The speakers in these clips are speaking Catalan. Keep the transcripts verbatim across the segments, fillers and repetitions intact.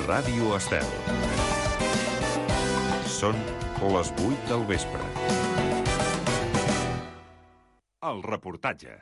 Ràdio Estel. Són les vuit del vespre. El reportatge.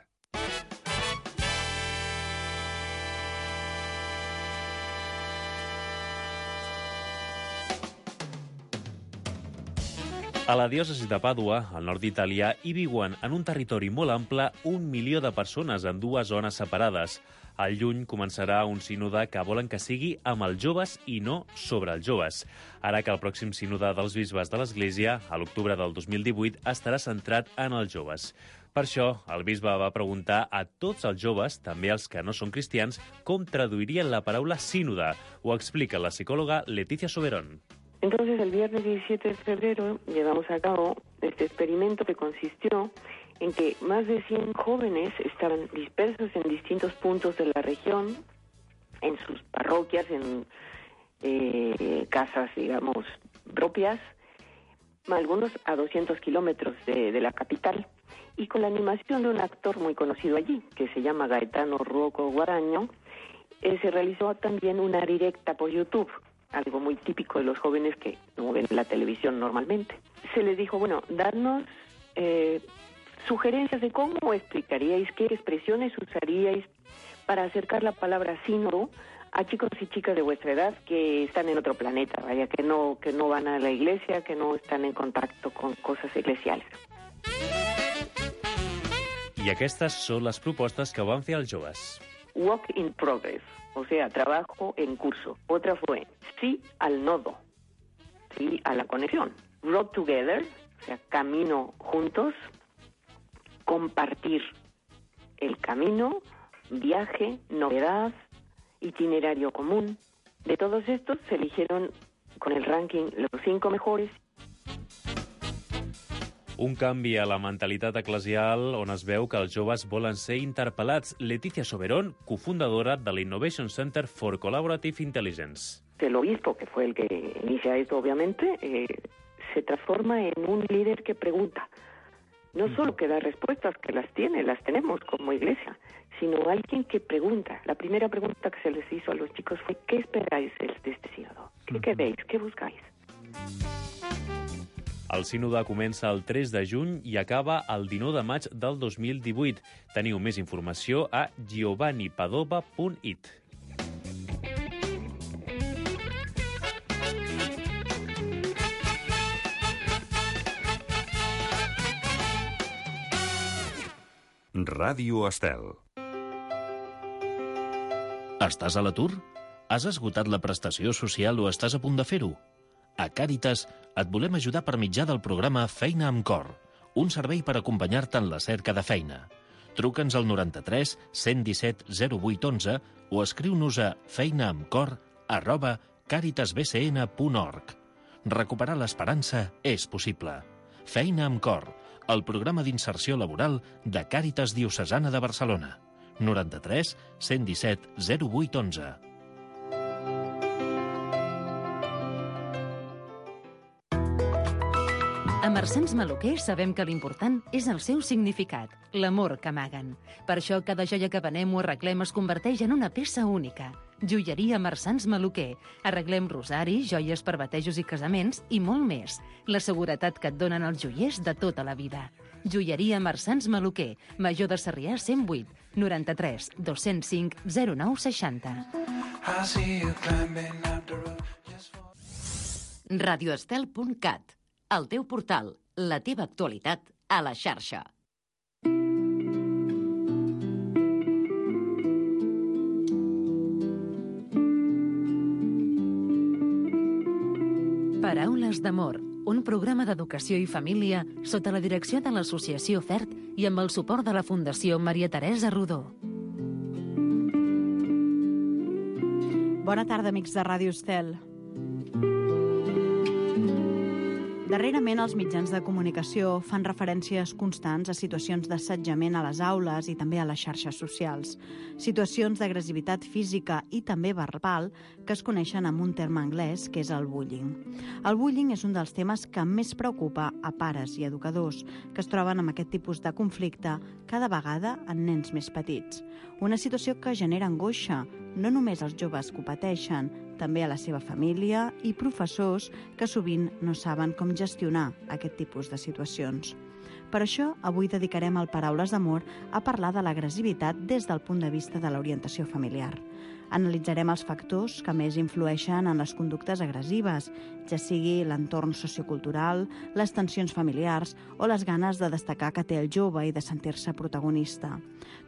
A la diòcesi de Pàdua, al nord d'Itàlia, hi viuen en un territori molt ample un milió de persones en dues zones separades. Al juny començarà un sínode que volen que sigui amb els joves i no sobre els joves. Ara que el pròxim sínode dels bisbes de l'Església, a l'octubre del dos mil divuit, estarà centrat en els joves. Per això, el bisbe va preguntar a tots els joves, també els que no són cristians, com traduirien la paraula sínode. Ho explica la psicòloga Leticia Soberón. Entonces, el viernes diecisiete de febrero llevamos a cabo este experimento que consistió en que más de cien jóvenes estaban dispersos en distintos puntos de la región, en sus parroquias, en eh, casas, digamos, propias, algunos a doscientos kilómetros de, de la capital, y con la animación de un actor muy conocido allí, que se llama Gaetano Rocco Guaraño, eh, se realizó también una directa por YouTube, algo muy típico de los jóvenes que no ven la televisión normalmente. Se les dijo, bueno, darnos eh, sugerencias de cómo explicaríais, qué expresiones usaríais para acercar la palabra sínodo a chicos y chicas de vuestra edad que están en otro planeta, vaya, que no, que no van a la iglesia, que no están en contacto con cosas eclesiales. I aquestes són les propostes que van fer els joves. Work in progress, o sea, trabajo en curso. Otra fue sí al nodo, sí a la conexión. Road together, o sea, camino juntos. Compartir el camino, viaje, novedad, itinerario común. De todos estos se eligieron con el ranking los cinco mejores. Un canvi a la mentalitat eclesial on es veu que els joves volen ser interpel·lats. Leticia Soberón, cofundadora de l'Innovation Center for Collaborative Intelligence. El obispo, que fue el que inicia esto, obviamente, eh, se transforma en un líder que pregunta. No solo que da respuestas, que las tiene, las tenemos como iglesia, sino alguien que pregunta. La primera pregunta que se les hizo a los chicos fue: ¿qué esperáis de este sínodo? ¿Qué queréis? ¿Qué buscáis? El sínode comença el tres de juny i acaba el dinou de maig del dos mil divuit. Teniu més informació a giovanni padova punt it. Ràdio Estel. Estàs a l'atur? Has esgotat la prestació social o estàs a punt de fer-ho? A Càritas et volem ajudar per mitjà del programa Feina amb Cor, un servei per acompanyar-te en la cerca de feina. Truca'ns al noranta-tres cent disset zero vuit onze o escriu-nos a feinaamcor arroba càritasbcn punt org. Recuperar l'esperança és possible. Feina amb Cor, el programa d'inserció laboral de Càritas Diocesana de Barcelona. noranta-tres cent disset zero vuit onze. A Marsans Maluquer sabem que l'important és el seu significat, l'amor que amaguen. Per això cada joia que venem o arreglem es converteix en una peça única. Joieria Marsans Maluquer. Arreglem rosaris, joies per batejos i casaments i molt més. La seguretat que et donen els joiers de tota la vida. Joieria Marsans Maluquer, Major de Sarrià cent vuit, noranta-tres dos cents cinc zero nou seixanta. radioestel punt cat, el teu portal, la teva actualitat a la xarxa. Paraules d'amor, un programa d'educació i família sota la direcció de l'Associació FERT i amb el suport de la Fundació Maria Teresa Rodó. Bona tarda, amics de Ràdio Estel. Darrerament, els mitjans de comunicació fan referències constants a situacions d'assetjament a les aules i també a les xarxes socials. Situacions d'agressivitat física i també verbal que es coneixen amb un terme anglès, que és el bullying. El bullying és un dels temes que més preocupa a pares i educadors que es troben amb aquest tipus de conflicte cada vegada en nens més petits. Una situació que genera angoixa, no només als joves que ho pateixen, també a la seva família i professors que sovint no saben com gestionar aquest tipus de situacions. Per això, avui dedicarem el Paraules d'Amor a parlar de l'agressivitat des del punt de vista de l'orientació familiar. Analitzarem els factors que més influeixen en les conductes agressives, ja sigui l'entorn sociocultural, les tensions familiars o les ganes de destacar que té el jove i de sentir-se protagonista.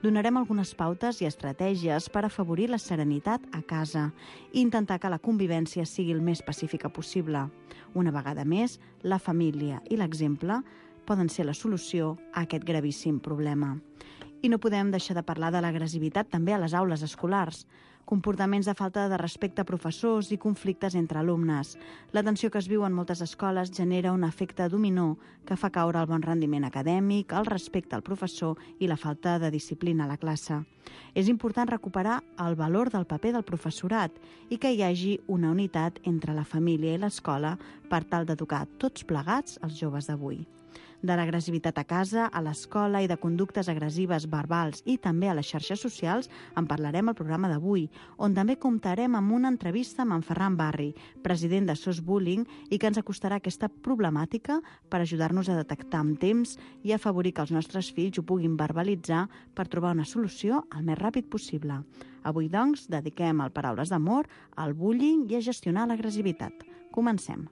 Donarem algunes pautes i estratègies per afavorir la serenitat a casa i intentar que la convivència sigui el més pacífica possible. Una vegada més, la família i l'exemple poden ser la solució a aquest gravíssim problema. I no podem deixar de parlar de l'agressivitat també a les aules escolars. Comportaments de falta de respecte a professors i conflictes entre alumnes. La tensió que es viu en moltes escoles genera un efecte dominó que fa caure el bon rendiment acadèmic, el respecte al professor i la falta de disciplina a la classe. És important recuperar el valor del paper del professorat i que hi hagi una unitat entre la família i l'escola per tal d'educar tots plegats els joves d'avui. De l'agressivitat a casa, a l'escola i de conductes agressives verbals i també a les xarxes socials en parlarem al programa d'avui, on també comptarem amb una entrevista amb en Ferran Barri, president de S O S Bullying, i que ens acostarà aquesta problemàtica per ajudar-nos a detectar amb temps i afavorir que els nostres fills ho puguin verbalitzar per trobar una solució el més ràpid possible. Avui, doncs, dediquem el Paraules d'Amor al bullying i a gestionar l'agressivitat. Comencem.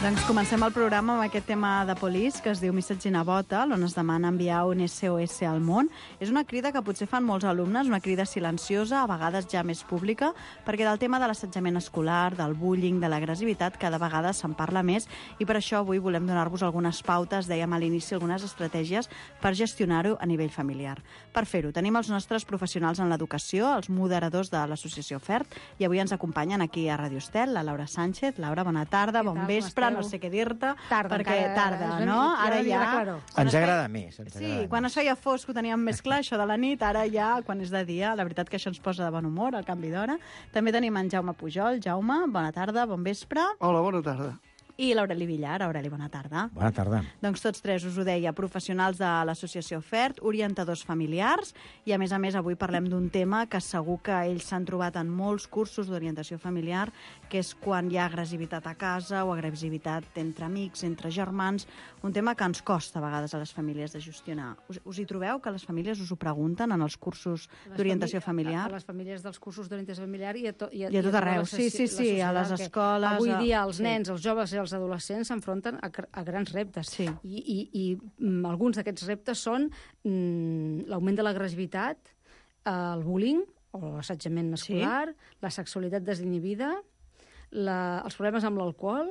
Doncs comencem el programa amb aquest tema de Police que es diu Message in a Bottle, on es demana enviar un S O S al món. És una crida que potser fan molts alumnes, una crida silenciosa, a vegades ja més pública, perquè del tema de l'assetjament escolar, del bullying, de l'agressivitat, cada vegada se'n parla més, i per això avui volem donar-vos algunes pautes, dèiem a l'inici, algunes estratègies per gestionar-ho a nivell familiar. Per fer-ho, tenim els nostres professionals en l'educació, els moderadors de l'associació F E R T, i avui ens acompanyen aquí a Radio Estel, la Laura Sánchez. Laura, bona tarda, bon vespre, no sé què dir-te, perquè tarda, no? Ara ja... Ens agrada més. Sí, quan es feia fosc ho teníem més clar, això de la nit, ara ja, quan és de dia, la veritat que això ens posa de bon humor, el canvi d'hora. També tenim en Jaume Pujol. Jaume, bona tarda, bon vespre. Hola, bona tarda. I l'Aureli Villar. Aureli, bona tarda. Bona tarda. Doncs tots tres, us ho deia, professionals de l'associació FERT, orientadors familiars, i a més a més avui parlem d'un tema que segur que ells s'han trobat en molts cursos d'orientació familiar, que és quan hi ha agressivitat a casa o agressivitat entre amics, entre germans, un tema que ens costa a vegades a les famílies de gestionar. Us, us hi trobeu, que les famílies us ho pregunten en els cursos d'orientació familiar? A les famílies dels cursos d'orientació familiar i a, to, i a, I a tot arreu, sí, sí, sí, a les escoles... Avui dia a... els sí. nens, els joves i els adolescents s'enfronten a, a grans reptes. Sí. I, i, i mm, alguns d'aquests reptes són mm, l'augment de l'agressivitat, el bullying, o l'assetjament escolar, sí. la sexualitat desinhibida, la, els problemes amb l'alcohol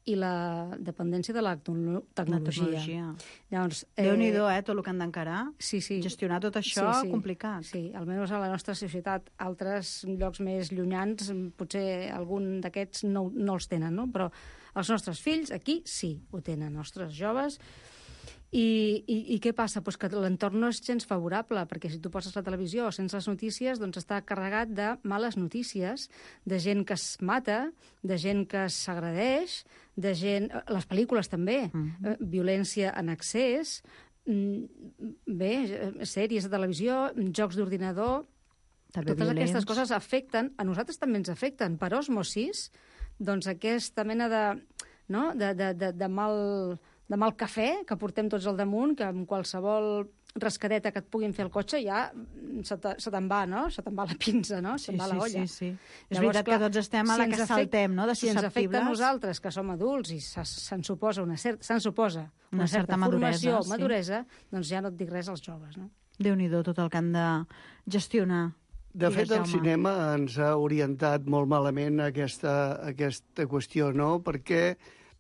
i la dependència de la tecnologia. La tecnologia. Llavors, eh, Déu-n'hi-do, eh, tot el que han d'encarar. Sí, sí. Gestionar tot això, sí, sí. complicat. Sí, almenys a la nostra societat. Altres llocs més llunyans, potser algun d'aquests no, no els tenen, no? Però els nostres fills, aquí, sí, ho tenen, els nostres joves. I, i, i què passa? Pues que l'entorn no és gens favorable, perquè si tu poses la televisió o sents les notícies, doncs està carregat de males notícies, de gent que es mata, de gent que s'agredeix, de gent... Les pel·lícules també, mm-hmm. eh, violència en excés, bé, sèries de televisió, jocs d'ordinador... També totes violents. Aquestes coses afecten, a nosaltres també ens afecten, per osmosis, doncs aquesta mena de, no? de, de, de, de mal... de mal cafè que portem tots al damunt, que amb qualsevol rascadeta que et puguin fer el cotxe ja se, te, se te'n va, no? Se te'n va la pinça, no? Se te'n sí, va la olla. Sí, sí, sí. És Llavors, veritat clar, que tots estem a la si que saltem, no?, de susceptibles. Si ens afecta a nosaltres, que som adults, i se'n suposa una, cer se'n suposa una, una certa, certa formació, maduresa, maduresa sí. doncs ja no et dic res als joves, no? Déu-n'hi-do tot el que han de gestionar. De fet, el cinema ens ha orientat molt malament a aquesta, a aquesta qüestió, no?, perquè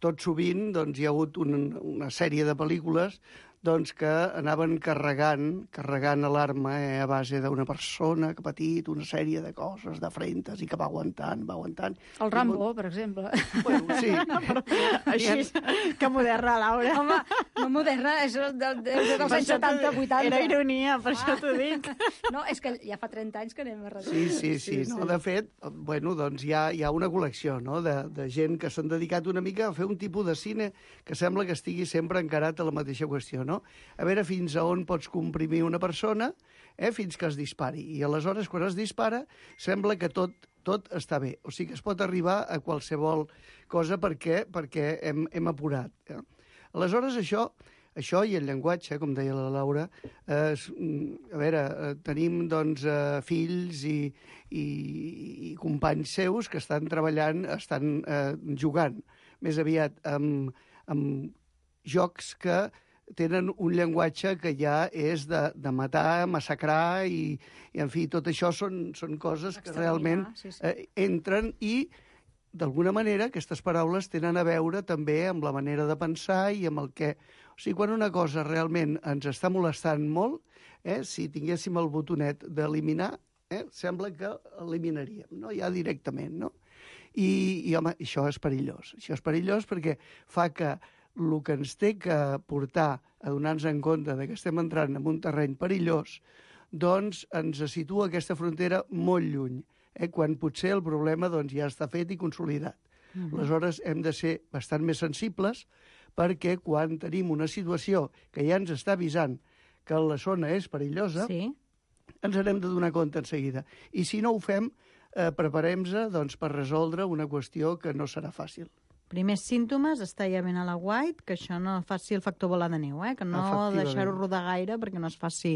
tot sovint doncs, hi ha hagut una, una sèrie de pel·lícules doncs, que anaven carregant, carregant alarma eh, a base d'una persona que ha patit una sèrie de coses, de frentes, i que va aguantant, va aguantant. El Rambo, I, per exemple. Bueno, sí. Però, així, que moderna, Laura. Home, no moderna, és del, del, dels anys setanta vuitanta. Era ironia, per ah. això t'ho dic. No, és que ja fa trenta anys que anem a darrere. Sí, sí, sí. sí, no, sí. De fet, bueno, doncs hi ha, hi ha una col·lecció, no?, de, de gent que s'han dedicat una mica a fer un tipus de cine que sembla que estigui sempre encarat a la mateixa qüestió, no? A veure fins a on pots comprimir una persona eh, fins que es dispari. I aleshores, quan es dispara, sembla que tot, tot està bé. O sigui que es pot arribar a qualsevol cosa perquè, perquè hem, hem apurat. Eh? Aleshores, això, això i el llenguatge, com deia la Laura, eh, a veure, eh, tenim doncs, eh, fills i, i, i companys seus que estan treballant, estan eh, jugant més aviat amb, amb jocs que tenen un llenguatge que ja és de, de matar, massacrar i, i, en fi, tot això són, són coses que realment sí, sí. Eh, entren i, d'alguna manera, aquestes paraules tenen a veure també amb la manera de pensar i amb el que... O sigui, quan una cosa realment ens està molestant molt, eh, si tinguéssim el botonet d'eliminar, eh, sembla que eliminaríem, no? Ja directament, no? I, i, home, això és perillós. Això és perillós perquè fa que el que ens té que portar a donar-nos en compte que estem entrant en un terreny perillós, doncs ens situa aquesta frontera molt lluny, eh, quan potser el problema doncs, ja està fet i consolidat. Uh-huh. Aleshores, hem de ser bastant més sensibles perquè quan tenim una situació que ja ens està avisant que la zona és perillosa, sí. ens n'hem de donar compte en seguida. I si no ho fem, eh, preparem-nos doncs, per resoldre una qüestió que no serà fàcil. Primers símptomes, estar ja ben a la guait, que això no faci el factor bola de neu, eh? Que no deixar-ho rodar gaire perquè no es faci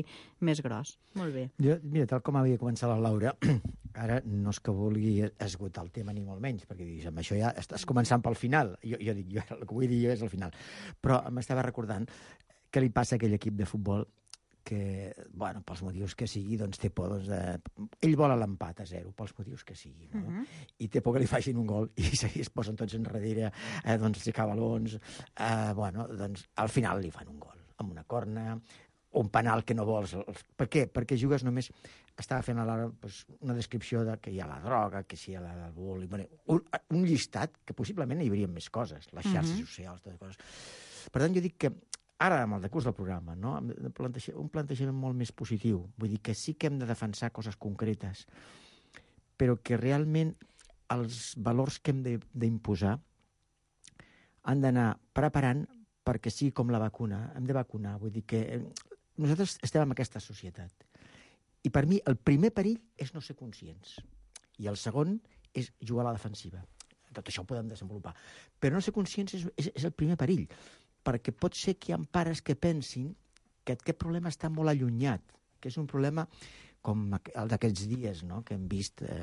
més gros. Molt bé. Jo, mira, tal com havia començat la Laura, ara no és que vulgui esgotar el tema ni molt menys, perquè dius, amb això ja estàs començant pel final. Jo, jo dic, jo, el que vull dir jo és el final. Però m'estava recordant què li passa a aquell equip de futbol que, bueno, pels motius que sigui, doncs té por, doncs, de... ell vol l'empat a zero, pels motius que sigui, no? Uh-huh. I té por que li facin un gol, i es posen tots enrere, eh, doncs aixecar balons, eh, bueno, doncs al final li fan un gol, amb una corna, un penal que no vols. Per què? Perquè jugues només... Estava fent a l'hora doncs, una descripció de que hi ha la droga, que si hi ha l'alcohol... Un, un llistat que possiblement hi hauria més coses, les xarxes uh-huh. socials, totes coses. Per tant, jo dic que ara, amb el decurs del programa, no? Planteja, un plantejament molt més positiu. Vull dir que sí que hem de defensar coses concretes, però que realment els valors que hem d'imposar han d'anar preparant perquè sigui com la vacuna. Hem de vacunar, vull dir que nosaltres estem en aquesta societat. I per mi el primer perill és no ser conscients. I el segon és jugar a la defensiva. Tot això ho podem desenvolupar. Però no ser conscients és, és, és el primer perill, perquè pot ser que hi ha pares que pensin que aquest problema està molt allunyat, que és un problema com el d'aquests dies, no?, que hem vist eh,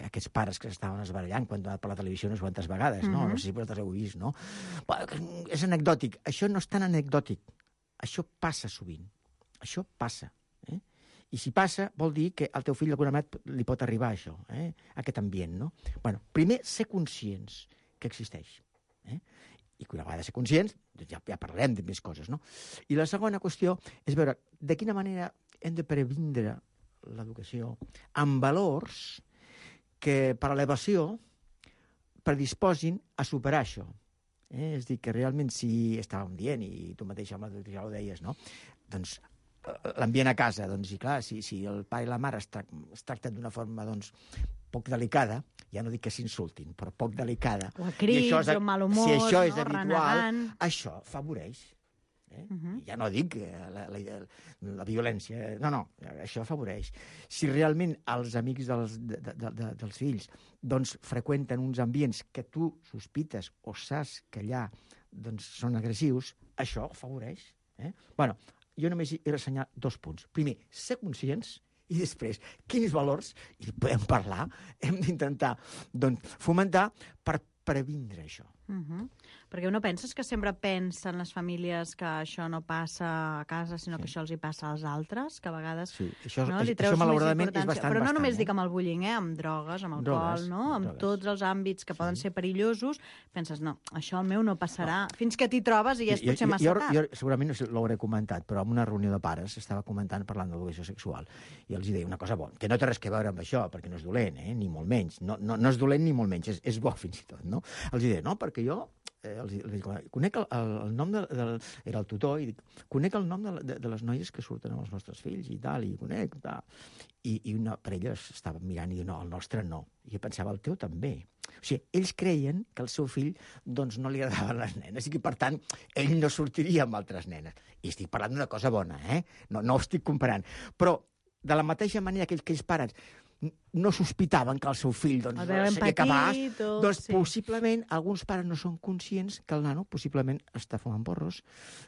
aquests pares que s'estaven esbarallant quan han anat per la televisió unes quantes vegades, no? Mm-hmm. No sé si vosaltres heu vist, no? És anecdòtic. Això no és tan anecdòtic. Això passa sovint. Això passa. Eh? I si passa, vol dir que al teu fill d'alguna manera li pot arribar això, eh? Aquest ambient, no? Bueno, primer, ser conscients que existeix. Eh? I que una vegada ser conscients, ja, ja parlarem de més coses, no? I la segona qüestió és veure de quina manera hem de previndre l'educació amb valors que per elevació predisposin a superar això. Eh? És a dir, que realment si estàvem dient, i tu mateix ja ho deies, no? Doncs l'ambient a casa, doncs, i clar, si, si el pare i la mare es, tra es tracten d'una forma, doncs, poc delicada, ja no dic que s'insultin, però poc delicada. O a crits, o mal humor, si això és no? habitual, Renegant. això favoreix. Eh? Uh -huh. Ja no dic la, la, la violència, no, no, això afavoreix. Si realment els amics dels, de, de, de, dels fills doncs, freqüenten uns ambients que tu sospites o saps que allà doncs, són agressius, això afavoreix. Eh? Bueno, jo només he ressenyat dos punts. Primer, ser conscients, i després, quins valors, i podem parlar, hem d'intentar doncs, fomentar per previndre això. Uh -huh. Perquè no penses que sempre pensen les famílies que això no passa a casa, sinó sí. que això els hi passa als altres, que a vegades sí. això, no, això, li treus això malauradament és bastant, però no bastant, només eh? dic amb el bullying, eh? Amb drogues, amb alcohol, drogues, no? amb drogues. tots els àmbits que sí. poden ser perillosos, penses, no, això al meu no passarà, no. fins que t'hi trobes i ja és potser jo, massa jo, tard. Jo, segurament no l'hauré comentat, però en una reunió de pares estava comentant parlant d'educació sexual i els deia una cosa bona, que no té res a veure amb això, perquè no és dolent, eh? Ni molt menys, no, no, no és dolent ni molt menys, és, és bo fins i tot, no? Els deia, no, perquè jo Eh, els, els dic, conec el, el, el nom de, del... Era el tutor, i dic, conec el nom de, de, de les noies que surten amb els nostres fills, i tal, i conec, tal. I, i una parella estava mirant i diu, no, el nostre no. I jo pensava, el teu també. O sigui, ells creien que el seu fill doncs, no li agradaven les nenes, i que, per tant, ell no sortiria amb altres nenes. I estic parlant d'una cosa bona, eh? No, no ho estic comparant. Però, de la mateixa manera que aquells pares no sospitaven que el seu fill doncs, seria capaç, o... doncs sí. possiblement alguns pares no són conscients que el nano possiblement està fumant porros,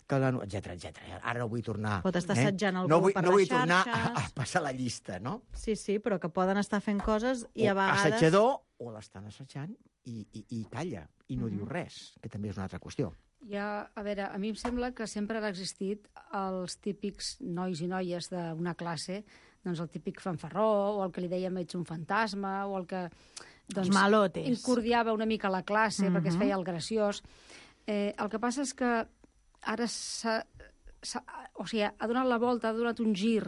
que el nano, etcètera, etcètera. Ara no vull tornar... Pot estar assetjant eh? algú no vull, per no vull les xarxes. tornar a, a passar la llista, no? Sí, sí, però que poden estar fent coses i o a vegades... assetjador, o l'estan assetjant i, i, i calla, i no mm-hmm. diu res, que també és una altra qüestió. Ja, a veure, a mi em sembla que sempre han existit els típics nois i noies d'una classe, doncs el típic fanfarró, o el que li dèiem ets un fantasma, o el que doncs, els malotes. Incordiava una mica la classe mm-hmm. perquè es feia el graciós. Eh, el que passa és que ara s'ha, s'ha, o sigui, ha donat la volta, ha donat un gir,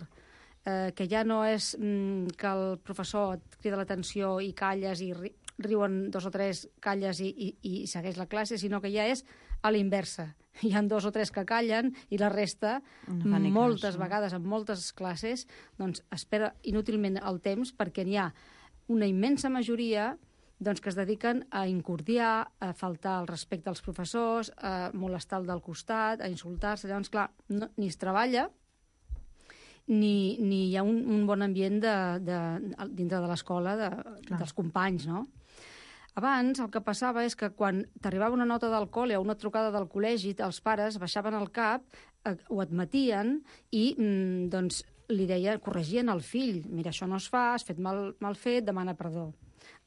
eh, que ja no és mm, que el professor et crida l'atenció i calles i ri, riuen dos o tres, calles i, i, i segueix la classe, sinó que ja és a l'inversa. Hi ha dos o tres que callen i la resta, no moltes cas, no? vegades, en moltes classes, doncs espera inútilment el temps perquè n'hi ha una immensa majoria doncs, que es dediquen a incordiar, a faltar el respecte als professors, a molestar el del costat, a insultar-se. Llavors, clar, no, ni es treballa, ni, ni hi ha un, un bon ambient de, de, dintre de l'escola de, dels companys, no? Abans el que passava és que quan t'arribava una nota del col·le o una trucada del col·legi, els pares baixaven el cap, eh, ho admetien i mm, doncs, li deien, corregien el fill. Mira, això no es fa, has fet mal, mal fet, demana perdó.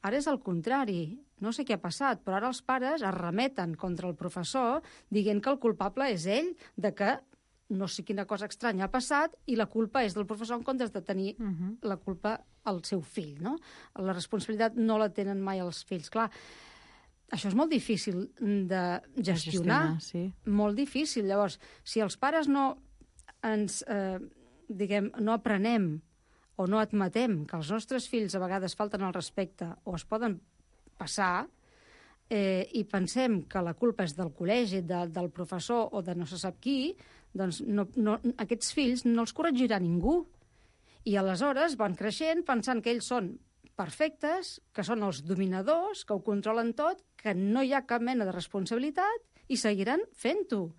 Ara és el contrari. No sé què ha passat, però ara els pares es remeten contra el professor dient que el culpable és ell, de que no sé quina cosa estranya ha passat i la culpa és del professor en comptes de tenir uh-huh. la culpa al seu fill, no? La responsabilitat no la tenen mai els fills. Clar, això és molt difícil de gestionar, gestionar sí. molt difícil. Llavors, si els pares no ens, eh, diguem, no aprenem o no admetem que els nostres fills a vegades falten al respecte o es poden passar, eh, i pensem que la culpa és del col·legi, de, del professor o de no se sap qui, doncs no, no, aquests fills no els corregirà ningú. I aleshores van creixent pensant que ells són perfectes, que són els dominadors, que ho controlen tot, que no hi ha cap mena de responsabilitat i seguiran fent-ho.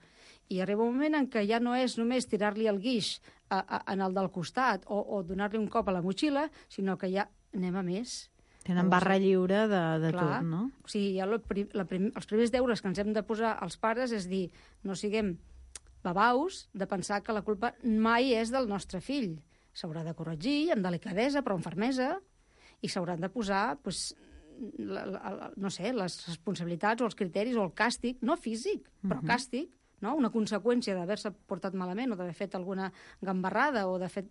I arriba un moment en què ja no és només tirar-li el guix a, a, en el del costat o, o donar-li un cop a la motxilla, sinó que ja anem a més. Tenen barra lliure de, de Clar. tot, no? O sigui, ja la, la prim, els primers deures que ens hem de posar als pares és dir, no siguem babaus de pensar que la culpa mai és del nostre fill. S'haurà de corregir amb delicadesa, però amb fermesa, i s'hauran de posar, pues, la, la, no sé, les responsabilitats o els criteris o el càstig, no físic, però uh-huh. càstig, no? Una conseqüència d'haver-se portat malament o d'haver fet alguna gambarrada o de fet,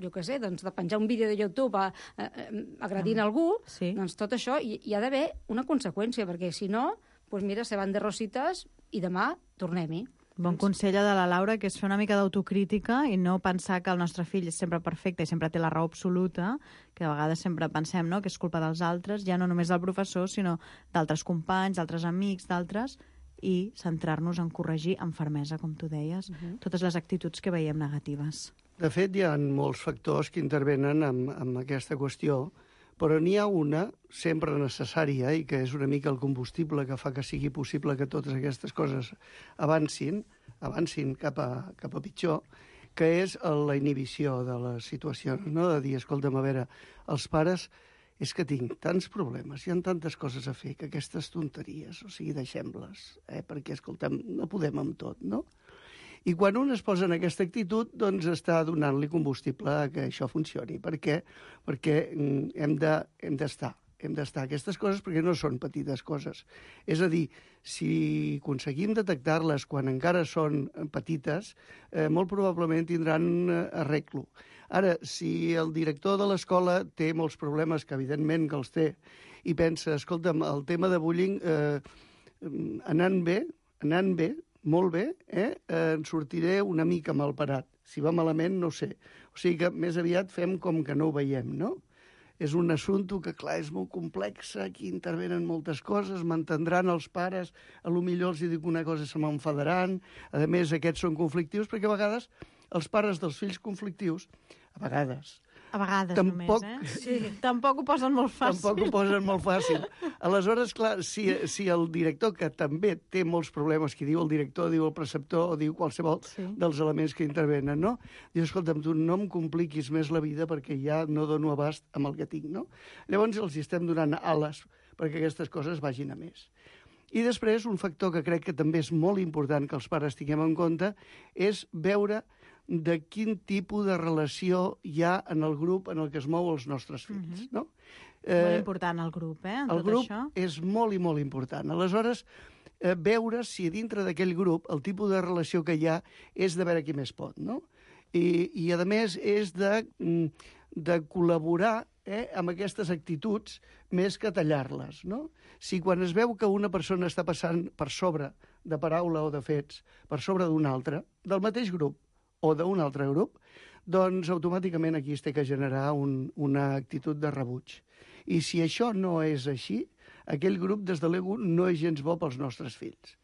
jo què sé, doncs de penjar un vídeo de YouTube a, a, a, agredint ah, algú, sí. doncs tot això hi, hi ha d'haver una conseqüència, perquè si no, doncs mira, se van de rosites i demà tornem-hi. Bon consell de la Laura, que és fer una mica d'autocrítica i no pensar que el nostre fill és sempre perfecte i sempre té la raó absoluta, que a vegades sempre pensem, no?, que és culpa dels altres, ja no només del professor, sinó d'altres companys, d'altres amics, d'altres, i centrar-nos en corregir amb fermesa, com tu deies, uh-huh. totes les actituds que veiem negatives. De fet, hi ha molts factors que intervenen amb, amb aquesta qüestió, però n'hi ha una sempre necessària i que és una mica el combustible que fa que sigui possible que totes aquestes coses avancin, avancin cap a, cap a pitjor, que és la inhibició de les situacions, no? De dir, escolta'm, a veure, els pares, és que tinc tants problemes, hi ha tantes coses a fer, que aquestes tonteries, o sigui, deixem-les, eh? Perquè, escolta'm, no podem amb tot, no? I quan un es posa en aquesta actitud, doncs està donant-li combustible a que això funcioni. Per què? Perquè hem de, hem d'estar, hem d'estar aquestes coses perquè no són petites coses. És a dir, si aconseguim detectar-les quan encara són petites, eh, molt probablement tindran arreglo. Ara, si el director de l'escola té molts problemes, que evidentment que els té, i pensa, escolta'm, el tema de bullying eh, anant bé, anant bé, molt bé, eh? eh, en sortiré una mica malparat. Si va malament, no ho sé. O sigui que més aviat fem com que no ho veiem, no? És un assumpte que, clar, és molt complex, aquí intervenen moltes coses, m'entendran els pares, a lo millor els dic una cosa se m'enfadaran, a més aquests són conflictius, perquè a vegades els pares dels fills conflictius, a vegades... A vegades tampoc, només, eh? Sí. Tampoc ho posen molt fàcil. Tampoc ho posen molt fàcil. Aleshores, clar, si, si el director, que també té molts problemes, qui diu el director, diu el preceptor, o diu qualsevol sí. dels elements que intervenen, no? Diu, escolta'm, tu no em compliquis més la vida perquè ja no dono abast amb el que tinc, no? Llavors els estem donant ales perquè aquestes coses vagin a més. I després, un factor que crec que també és molt important que els pares tinguem en compte és veure de quin tipus de relació hi ha en el grup en el que es mou els nostres fills, uh-huh. no? Eh, molt important el grup, eh, en el tot grup això. És molt i molt important. Aleshores, eh, veure si dintre d'aquell grup el tipus de relació que hi ha és de veure qui més pot, no? I, i a més, és de, de col·laborar eh, amb aquestes actituds més que tallar-les, no? Si quan es veu que una persona està passant per sobre de paraula o de fets, per sobre d'una altra, del mateix grup, o d'un altre grup, doncs automàticament aquí es té que generar un, una actitud de rebuig. I si això no és així, aquell grup, des de l'ego, no és gens bo pels nostres fills.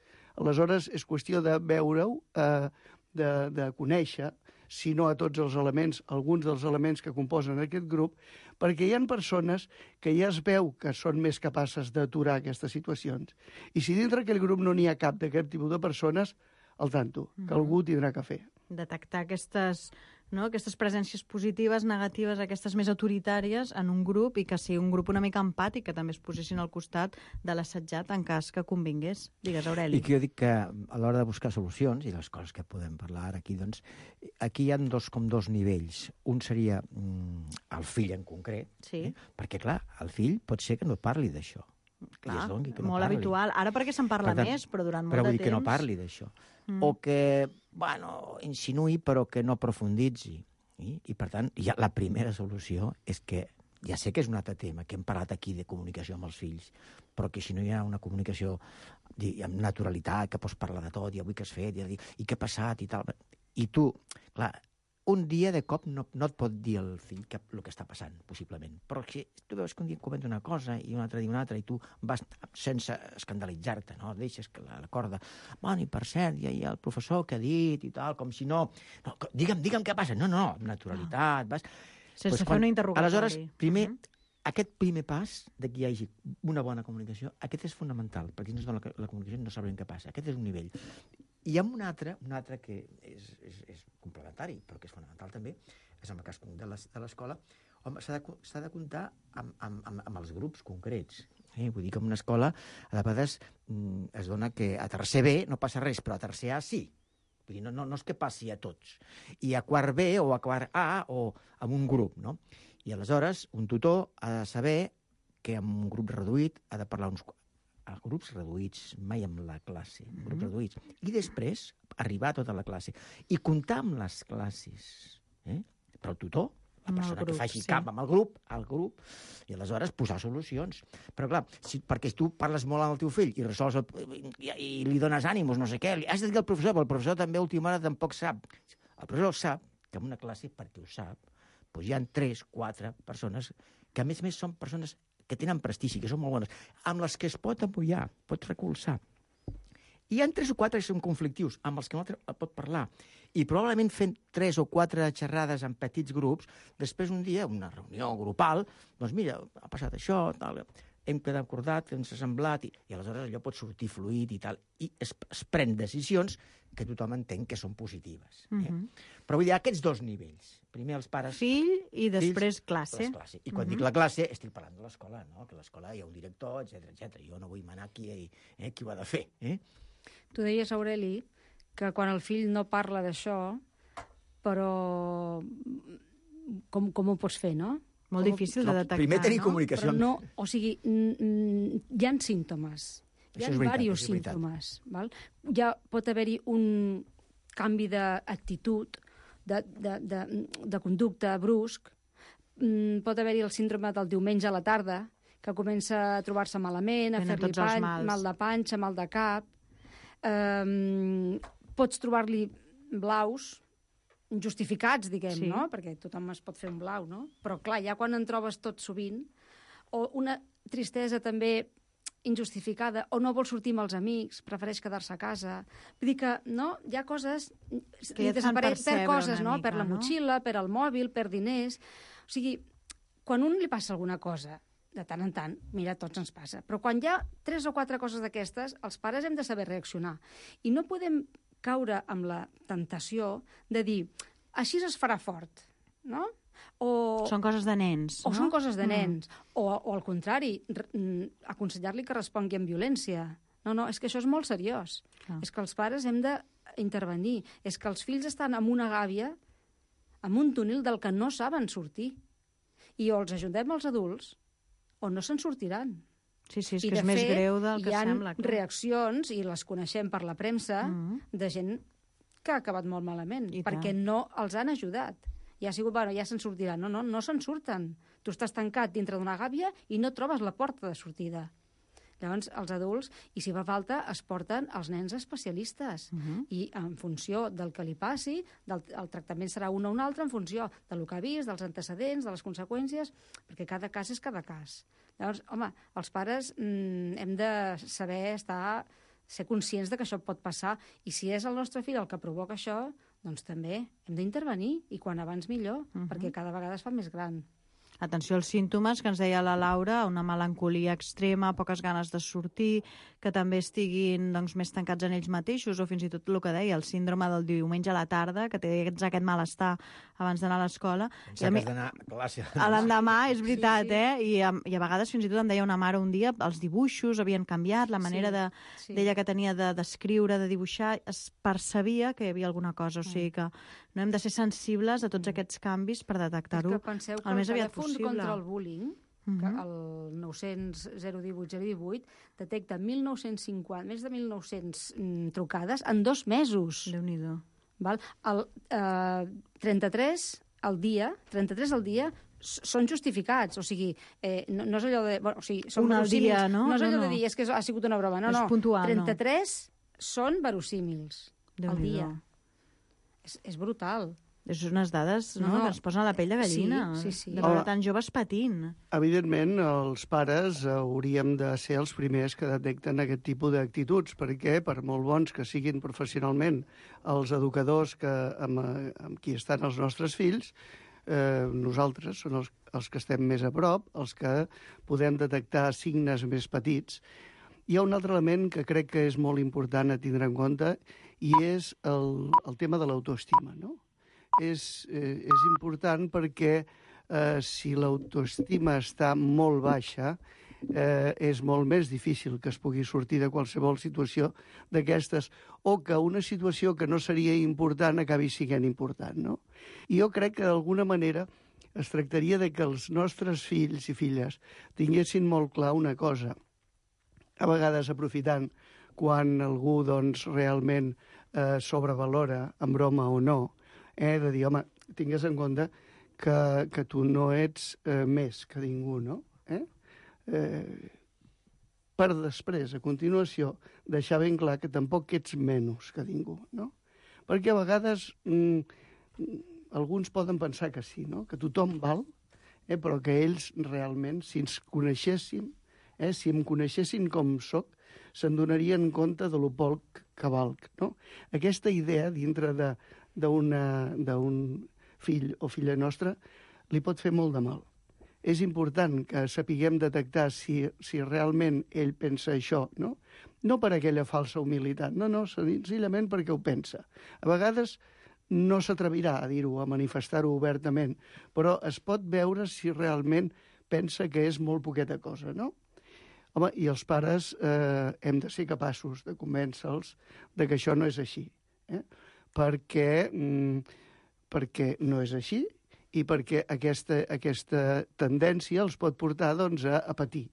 Aleshores, és qüestió de veure-ho, eh, de, de conèixer, si no a tots els elements, alguns dels elements que composen aquest grup, perquè hi ha persones que ja es veu que són més capaces d'aturar aquestes situacions. I si dintre aquell grup no n'hi ha cap d'aquest tipus de persones, al tanto, que algú tindrà que fer. Detectar aquestes, no, aquestes presències positives, negatives, aquestes més autoritàries en un grup i que sigui un grup una mica empàtic, que també es posessin al costat de l'assetjat en cas que convingués. Digues, Aureli. I que jo dic que a l'hora de buscar solucions, i les coses que podem parlar ara aquí, doncs, aquí hi ha dos, com dos nivells. Un seria mm, el fill en concret, sí. eh? Perquè, clar, el fill pot ser que no parli d'això. Clar, no molt parli. habitual. Ara perquè se'n parla per tant, més, però durant molt però de vull temps... dir que no parli d'això. Mm. O que, bueno, insinuï però que no profunditzi. I, i per tant, ja la primera solució és que, ja sé que és un altre tema, que hem parlat aquí de comunicació amb els fills, però que si no hi ha una comunicació amb naturalitat, que pots parlar de tot, i avui què has fet, i, i què ha passat, i tal... I tu, clar, un dia de cop no, no et pot dir el fill que, el que està passant, possiblement. Però si tu veus que un dia et comenta una cosa i un altre dia una altra i tu vas sense escandalitzar-te, no? Deixes que la, la corda... Bueno, i per cert, hi ha, hi ha el professor que ha dit i tal, com si no... no digue'm, digue'm què passa. No, no, naturalitat, vas... Sense pues fer una interrogatori. Aleshores, primer, uh-huh. aquest primer pas de que hi hagi una bona comunicació, aquest és fonamental, perquè si no es dona la, la comunicació no sabrem què passa. Aquest és un nivell. I hi ha un altre, un altre que és, és, és complementari, però que és fonamental també, és en el cas de l'escola. Home, s'ha de, s'ha de comptar amb, amb, amb, amb els grups concrets. Eh? Vull dir que en una escola, a vegades, mm, es dona que a tercer B no passa res, però a tercer A sí. Vull dir, no, no, no és que passi a tots. I a quart B o a quart A o amb un grup, no? I aleshores un tutor ha de saber que en un grup reduït ha de parlar uns a grups reduïts, mai amb la classe, mm-hmm. grups reduïts. I després arribar a tota la classe. I comptar amb les classes. Eh? Però el tutor, la persona grup, que faci sí. cap amb el grup, al grup, i aleshores posar solucions. Però clar, si, perquè tu parles molt amb el teu fill i resols el, i, i li dones ànims, no sé què, li has de dir al professor, però el professor també a última hora tampoc sap. El professor sap que en una classe, perquè ho sap, doncs hi ha tres, quatre persones que a més a més són persones que tenen prestigi, que són molt bones, amb les que es pot apoyar, pot recolzar. I hi ha tres o quatre que són conflictius, amb els que l'altre pot parlar. I probablement fent tres o quatre xerrades en petits grups, després un dia, una reunió grupal, doncs mira, ha passat això, tal, hem quedat acordat, ens ha semblat, i, i aleshores allò pot sortir fluid i tal, i es, es pren decisions que tothom entén que són positives. Eh? Mm-hmm. Però vull dir, aquests dos nivells. Primer els pares... Fill i després fills, classe. classe. I quan mm-hmm. dic la classe, estic parlant de l'escola, no? Que a l'escola hi ha un director, etcètera, etcètera. Jo no vull manar qui, eh, qui ho ha de fer. Eh? Tu deies, Aureli, que quan el fill no parla d'això, però com, com ho pots fer, no? Molt com difícil ho... de detectar, Primer tenir no? comunicació. Però no, o sigui, hi ha símptomes. Hi ha diversos símptomes. Val? Ja pot haver-hi un canvi d'actitud, de, de, de, de conducta brusc. Pot haver-hi el síndrome del diumenge a la tarda, que comença a trobar-se malament, a fer-li pan, mal de panxa, mal de cap. Um, pots trobar-li blaus, justificats, diguem, sí. no? Perquè tothom es pot fer un blau, no? Però, clar, ja quan en trobes tot sovint, o una tristesa també injustificada, o no vol sortir amb els amics, prefereix quedar-se a casa. Vull dir que, no? Hi ha coses... Que ja et fan percebre per coses, no? mica, Per la no? motxilla, per el mòbil, per diners... O sigui, quan un li passa alguna cosa, de tant en tant, mira, tots ens passa, però quan hi ha tres o quatre coses d'aquestes, els pares hem de saber reaccionar. I no podem caure amb la tentació de dir, així es farà fort, no? O, són coses de nens, o no? són coses de nens. Mm. O, o al contrari, aconsellar-li que respongui amb violència. No, no, és que això és molt seriós. Ah. És que els pares hem d'intervenir. És que els fills estan amb una gàbia, amb un túnel del que no saben sortir. I o els ajudem als adults, o no se'n sortiran. Sí, sí, és I que és més fet, greu del que sembla. sembla. Hi ha reaccions, i les coneixem per la premsa, mm. de gent que ha acabat molt malament, I perquè tant. no els han ajudat. I ha sigut, bueno, ja se'n sortiran. No, no, no se'n surten. Tu estàs tancat dintre d'una gàbia i no trobes la porta de sortida. Llavors, els adults, i si fa falta, es porten els nens especialistes. Uh-huh. I en funció del que li passi, del, el tractament serà un o un altre en funció del que ha vist, dels antecedents, de les conseqüències, perquè cada cas és cada cas. Llavors, home, els pares mm, hem de saber estar, ser conscients de que això pot passar, i si és el nostre fill el que provoca això, doncs també hem d'intervenir, i quan abans millor, uh-huh. perquè cada vegada es fa més gran. Atenció als símptomes, que ens deia la Laura, una melancolia extrema, poques ganes de sortir, que també estiguin doncs, més tancats en ells mateixos, o fins i tot el que deia, el síndrome del diumenge a la tarda, que té aquest malestar abans d'anar a l'escola. Pensa que has d'anar a classe. A l'endemà, és veritat, sí, sí. eh? I a, I a vegades fins i tot em deia una mare un dia, els dibuixos havien canviat, la manera sí, de, sí. d'ella que tenia d'escriure, de, de dibuixar, es percebia que hi havia alguna cosa, o sigui que no hem de ser sensibles a tots aquests canvis per detectar-ho el més aviat possible. Contra el bullying, uh-huh. que el nou-cents zero divuit zero divuit detecta mil nou-cents cinquanta, més de mil nou-cents mm, trucades en dos mesos. Déu-n'hi-do. Val? El, eh, trenta-tres al dia, trenta-tres al dia són justificats, o sigui, eh, no, no és allò de... Bueno, o sigui, són un al dia, no? No és allò no, no. de dir, és que ha sigut una broma. No, és no. puntual, trenta-tres no. Són verosímils al dia. És, és brutal. És unes dades no, no, que ens posen la pell de gallina. Sí, sí, sí. De veure tants joves patint. Evidentment, els pares hauríem de ser els primers que detecten aquest tipus d'actituds, perquè, per molt bons que siguin professionalment els educadors que, amb, amb qui estan els nostres fills, eh, nosaltres són els, els que estem més a prop, els que podem detectar signes més petits. Hi ha un altre element que crec que és molt important a tindre en compte i és el, el tema de l'autoestima, no? És, eh, és important perquè eh, si l'autoestima està molt baixa, eh, és molt més difícil que es pugui sortir de qualsevol situació d'aquestes o que una situació que no seria important acabi sent important, no? I jo crec que d'alguna manera es tractaria de que els nostres fills i filles tinguessin molt clar una cosa, a vegades aprofitant quan algú doncs, realment eh, sobrevalora, en broma o no, eh, de dir, home, tingues en compte que, que tu no ets eh, més que ningú, no? Eh? Eh, per després, a continuació, deixar ben clar que tampoc ets menys que ningú, no? Perquè a vegades mm, alguns poden pensar que sí, no? Que tothom val, eh, però que ells realment, si ens coneixéssim, eh, si em coneixessin com sóc, se'n donarien compte de lo poc que valc, no? Aquesta idea dintre de, d'un fill o filla nostra li pot fer molt de mal. És important que sapiguem detectar si, si realment ell pensa això, no? No per aquella falsa humilitat, no, no, senzillament perquè ho pensa. A vegades no s'atrevirà a dir-ho, a manifestar-ho obertament, però es pot veure si realment pensa que és molt poqueta cosa, no? Home, i els pares eh, hem de ser capaços de convèncer-los de que això no és així, eh? perquè, mm, perquè no és així i perquè aquesta, aquesta tendència els pot portar doncs, a, a patir.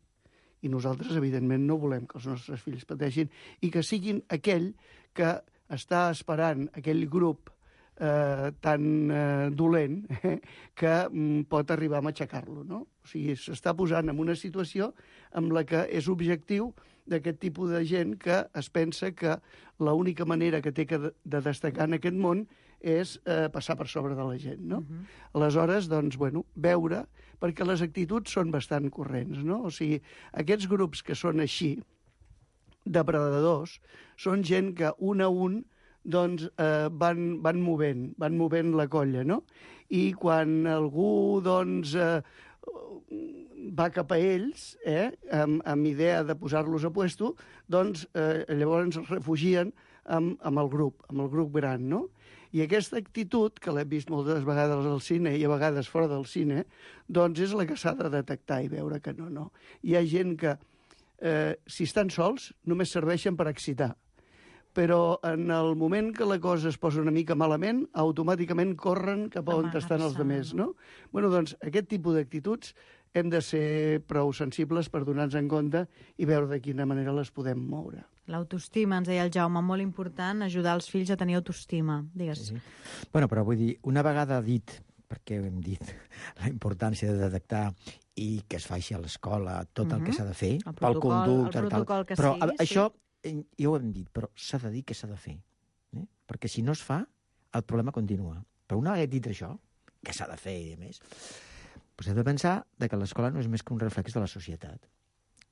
I nosaltres, evidentment, no volem que els nostres fills pateixin i que siguin aquell que està esperant aquell grup eh, tan eh, dolent eh, que mm, pot arribar a matxacar-lo, no? O sigui, s'està posant en una situació en la que és objectiu d'aquest tipus de gent que es pensa que l'única manera que té que de destacar en aquest món és eh, passar per sobre de la gent, no? Uh-huh. Aleshores, doncs, bueno, veure, perquè les actituds són bastant corrents, no? O sigui, aquests grups que són així, depredadors, són gent que un a un doncs, eh, van, van movent, van movent la colla, no? I quan algú, doncs, eh, va cap a ells, eh, amb, amb idea de posar-los a puesto, doncs eh, llavors es refugien amb, amb el grup, amb el grup gran, no? I aquesta actitud, que l'hem vist moltes vegades al cine i a vegades fora del cine, doncs és la que s'ha de detectar i veure que no, no. Hi ha gent que, eh, si estan sols, només serveixen per excitar. Però en el moment que la cosa es posa una mica malament, automàticament corren cap a on estan els altres, no? Bueno, doncs, aquest tipus d'actituds hem de ser prou sensibles per donar-nos en compte i veure de quina manera les podem moure. L'autoestima, ens deia el Jaume, molt important, ajudar els fills a tenir autoestima. Digues. Sí, sí. Bueno, però vull dir, una vegada dit, perquè hem dit la importància de detectar i que es faci a l'escola tot uh-huh. el que s'ha de fer, el pel conducte, el protocol tal, que però sigui, això, sí. ja ho hem dit, però s'ha de dir que s'ha de fer. Eh? Perquè si no es fa, el problema continua. Però una vegada dit això, que s'ha de fer i més, doncs hem de pensar que l'escola no és més que un reflex de la societat.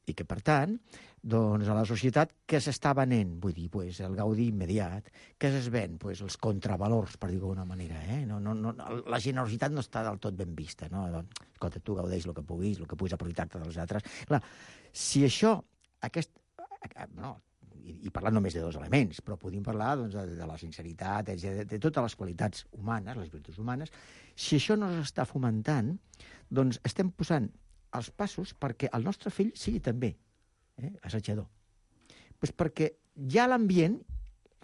I que, per tant, doncs, a la societat que s'està venent, vull dir, pues, el gaudi immediat, que es ven pues, els contravalors, per dir-ho d'alguna manera. Eh? No, no, no, la generositat no està del tot ben vista. No? Escolta, tu gaudeix el que puguis, el que puguis aprofitar-te dels altres. Clar, si això, aquest, no, i, i parlant només de dos elements, però podríem parlar doncs, de, de la sinceritat, de, de totes les qualitats humanes, les virtuts humanes, si això no s'està fomentant, doncs estem posant els passos perquè el nostre fill sigui també eh, assetjador. Pues perquè ja l'ambient,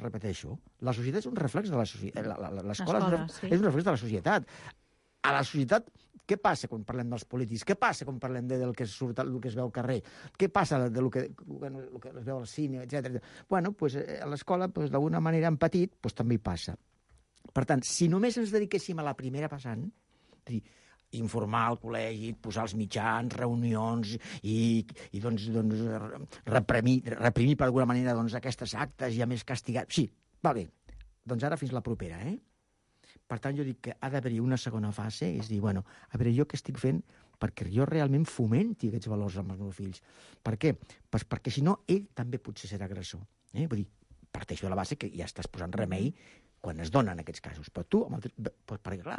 repeteixo, la societat és un reflex de la societat. L'escola és, un sí. és un reflex de la societat. A la societat, què passa quan parlem dels polítics? Què passa quan parlem de, del que surt, del que es veu al carrer? Què passa de lo que, bueno, lo que es veu al cine, etcètera? Bueno, pues, a l'escola, pues, d'alguna manera, en petit, pues, també hi passa. Per tant, si només ens dediquéssim a la primera passant, és a dir, informar al col·legi, posar els mitjans, reunions i, i doncs, doncs, reprimir, reprimir per alguna manera doncs, aquestes actes i a més castigar. Sí, va bé. Doncs ara fins la propera, eh? Per tant, jo dic que ha d'haver-hi una segona fase, és dir, bueno, a veure, jo què estic fent perquè jo realment fomenti aquests valors amb els meus fills. Per què? Pues perquè si no, ell també potser serà agressor. Eh? Vull dir, parteixo de la base que ja estàs posant remei quan es donen aquests casos. Però tu, amb el... pues perquè, clar,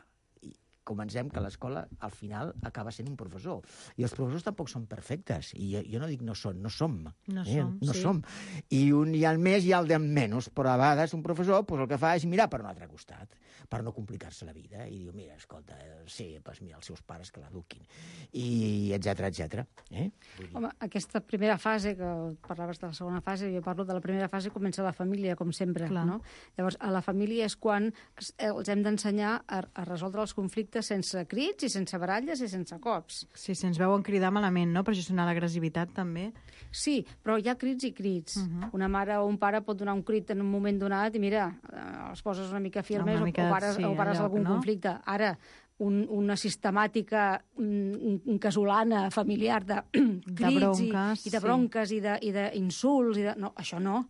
comencem que l'escola, al final, acaba sent un professor. I els professors tampoc són perfectes. I jo, jo no dic no són, no som. No eh? som, no sí. som. I un hi ha el més i el de menys. Però a vegades un professor pues, el que fa és mirar per un altre costat, per no complicar-se la vida. I diu, mira, escolta, sí, pues mira, els seus pares que l'eduquin. I etcètera, etcètera. Eh? Home, aquesta primera fase, que parlaves de la segona fase, jo parlo de la primera fase, comença a la família, com sempre. No? Llavors, a la família és quan els hem d'ensenyar a, a resoldre els conflictes sense crits i sense baralles i sense cops. Sí, si ens veuen cridar malament, no? Per gestionar l'agressivitat, també. Sí, però hi ha crits i crits. Uh -huh. Una mare o un pare pot donar un crit en un moment donat i, mira, els poses una mica firmes una mica, o, o pares, sí, o pares lloc, algun no? conflicte. Ara, un, una sistemàtica un, un casolana familiar de crits de bronques, i, i de bronques sí. i d'insults. De, no, això no.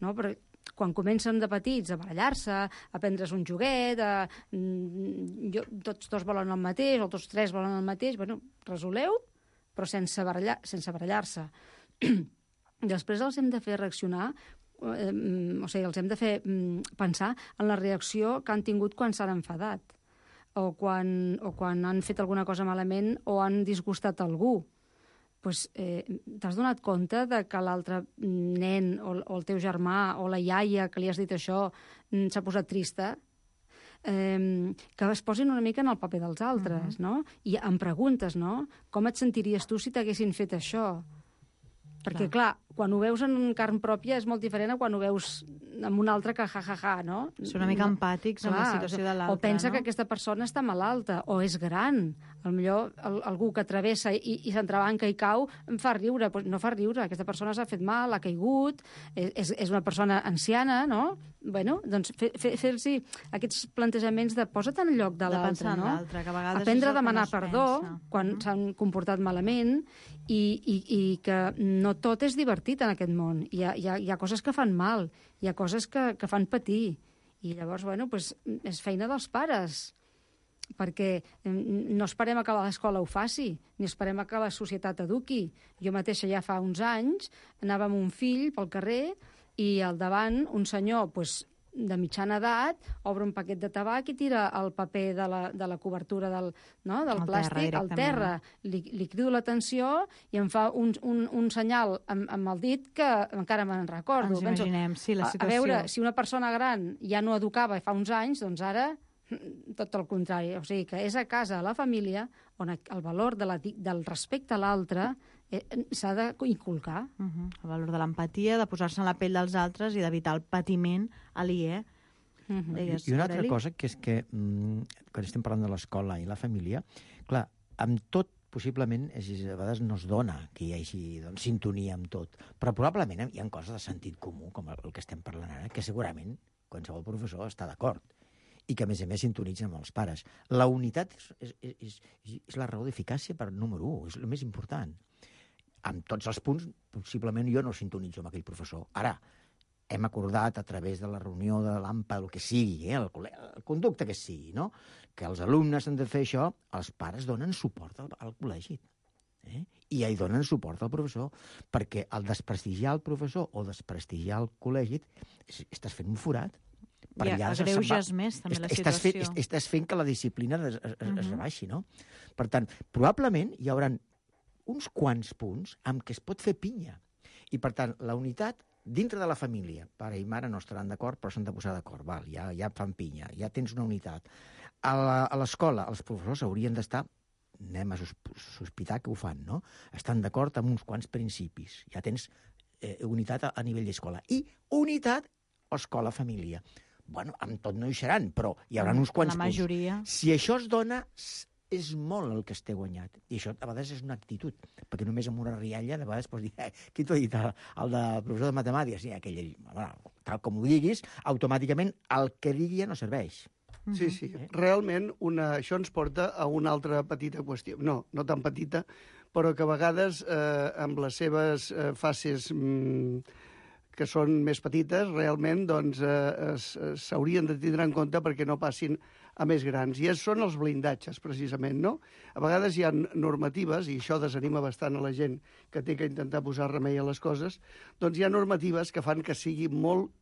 No, però quan comencen de petits a barallar-se, a prendre's un joguet, a, jo, tots dos volen el mateix, o tots tres volen el mateix, bueno, resoleu, però sense barallar, sense barallar-se. Després els hem de fer reaccionar, eh, o sigui, els hem de fer mm, pensar en la reacció que han tingut quan s'han enfadat, o quan, o quan han fet alguna cosa malament o han disgustat algú. Pues, eh, t'has donat compte de que l'altre nen o, o el teu germà o la iaia que li has dit això s'ha posat trista? Eh, que es posin una mica en el paper dels altres, uh-huh. no? I em preguntes, no? Com et sentiries tu si t'haguessin fet això? Perquè, clar, quan ho veus en carn pròpia és molt diferent a quan ho veus amb un altre que ja-ja-ja, no? Són una mica empàtics amb la situació de l'altre, o pensa no? que aquesta persona està malalta, o és gran. Potser el, algú que travessa i, i s'entrebanca i cau em fa riure. Pues no fa riure, aquesta persona s'ha fet mal, ha caigut, és, és una persona anciana, no? Bueno, doncs fer, fer, fer-los aquests plantejaments de posa't en el lloc de l'altre, no? Que a vegades aprendre a demanar no perdó quan mm-hmm. s'han comportat malament i, i, i que no tot és divertit en aquest món. Hi ha, hi ha, hi ha coses que fan mal, hi ha coses que, que fan patir. I llavors, bueno, pues, és feina dels pares, perquè no esperem a que l'escola ho faci, ni esperem a que la societat eduqui. Jo mateixa ja fa uns anys anava amb un fill pel carrer i al davant un senyor pues, de mitjana edat obre un paquet de tabac i tira el paper de la, de la cobertura del, no, del plàstic al terra. Li, li crido l'atenció i em fa un, un, un senyal amb, amb el dit que encara me'n recordo. Ens imaginem, sí, la situació. A, a veure, si una persona gran ja no educava fa uns anys, doncs ara tot el contrari. O sigui, que és a casa, a la família, on el valor de la, del respecte a l'altre s'ha d'inculcar. Uh-huh. El valor de l'empatia, de posar-se en la pell dels altres i d'evitar el patiment aliè. Uh-huh. Deies, I una altra cosa, que és que mm, quan estem parlant de l'escola i la família, clar, amb tot possiblement és, a vegades no es dona que hi hagi doncs, sintonia amb tot, però probablement hi ha coses de sentit comú, com el, el que estem parlant ara, que segurament qualsevol professor està d'acord i que, a més a més, sintonitzen amb els pares. La unitat és, és, és, és la raó d'eficàcia per número un, és el més important. Amb tots els punts, possiblement jo no sintonitzo amb aquell professor. Ara, hem acordat a través de la reunió de l'AMPA, el que sigui, eh, el, el conducte que sigui, no? Que els alumnes han de fer això, els pares donen suport al, al col·legi. Eh? I hi donen suport al professor, perquè al desprestigiar el professor o desprestigiar el col·legi, estàs fent un forat. I ja agreuges més, també, la situació. Estàs fent, estàs fent que la disciplina es, es, uh-huh. es rebaixi, no? Per tant, probablement hi haurà uns quants punts amb què es pot fer pinya. I, per tant, la unitat dintre de la família, pare i mare no estaran d'acord, però s'han de posar d'acord, val, ja, ja fan pinya, ja tens una unitat. A l'escola, els professors haurien d'estar, anem a sospitar que ho fan, no? Estan d'acord amb uns quants principis. Ja tens eh, unitat a, a nivell d'escola. I unitat escola-família. Bueno, amb tot no hi seran, però hi haurà uns quants la majoria. punts. Si això es dona, és molt el que es té guanyat. I això a vegades és una actitud, perquè només amb una rialla de vegades pots dir, eh, qui t'ho ha dit, el, el de professor de matemàtiques? Sí, aquell, bueno, tal com ho diguis, automàticament el que digui ja no serveix. Sí, sí. Eh? Realment una, això ens porta a una altra petita qüestió. No, no tan petita, però que a vegades eh, amb les seves eh, fases mm, que són més petites, realment doncs, eh, s'haurien de tindre en compte perquè no passin a més grans. I són els blindatges, precisament, no? A vegades hi ha normatives, i això desanima bastant a la gent que té que intentar posar remei a les coses, doncs hi ha normatives que fan que sigui molt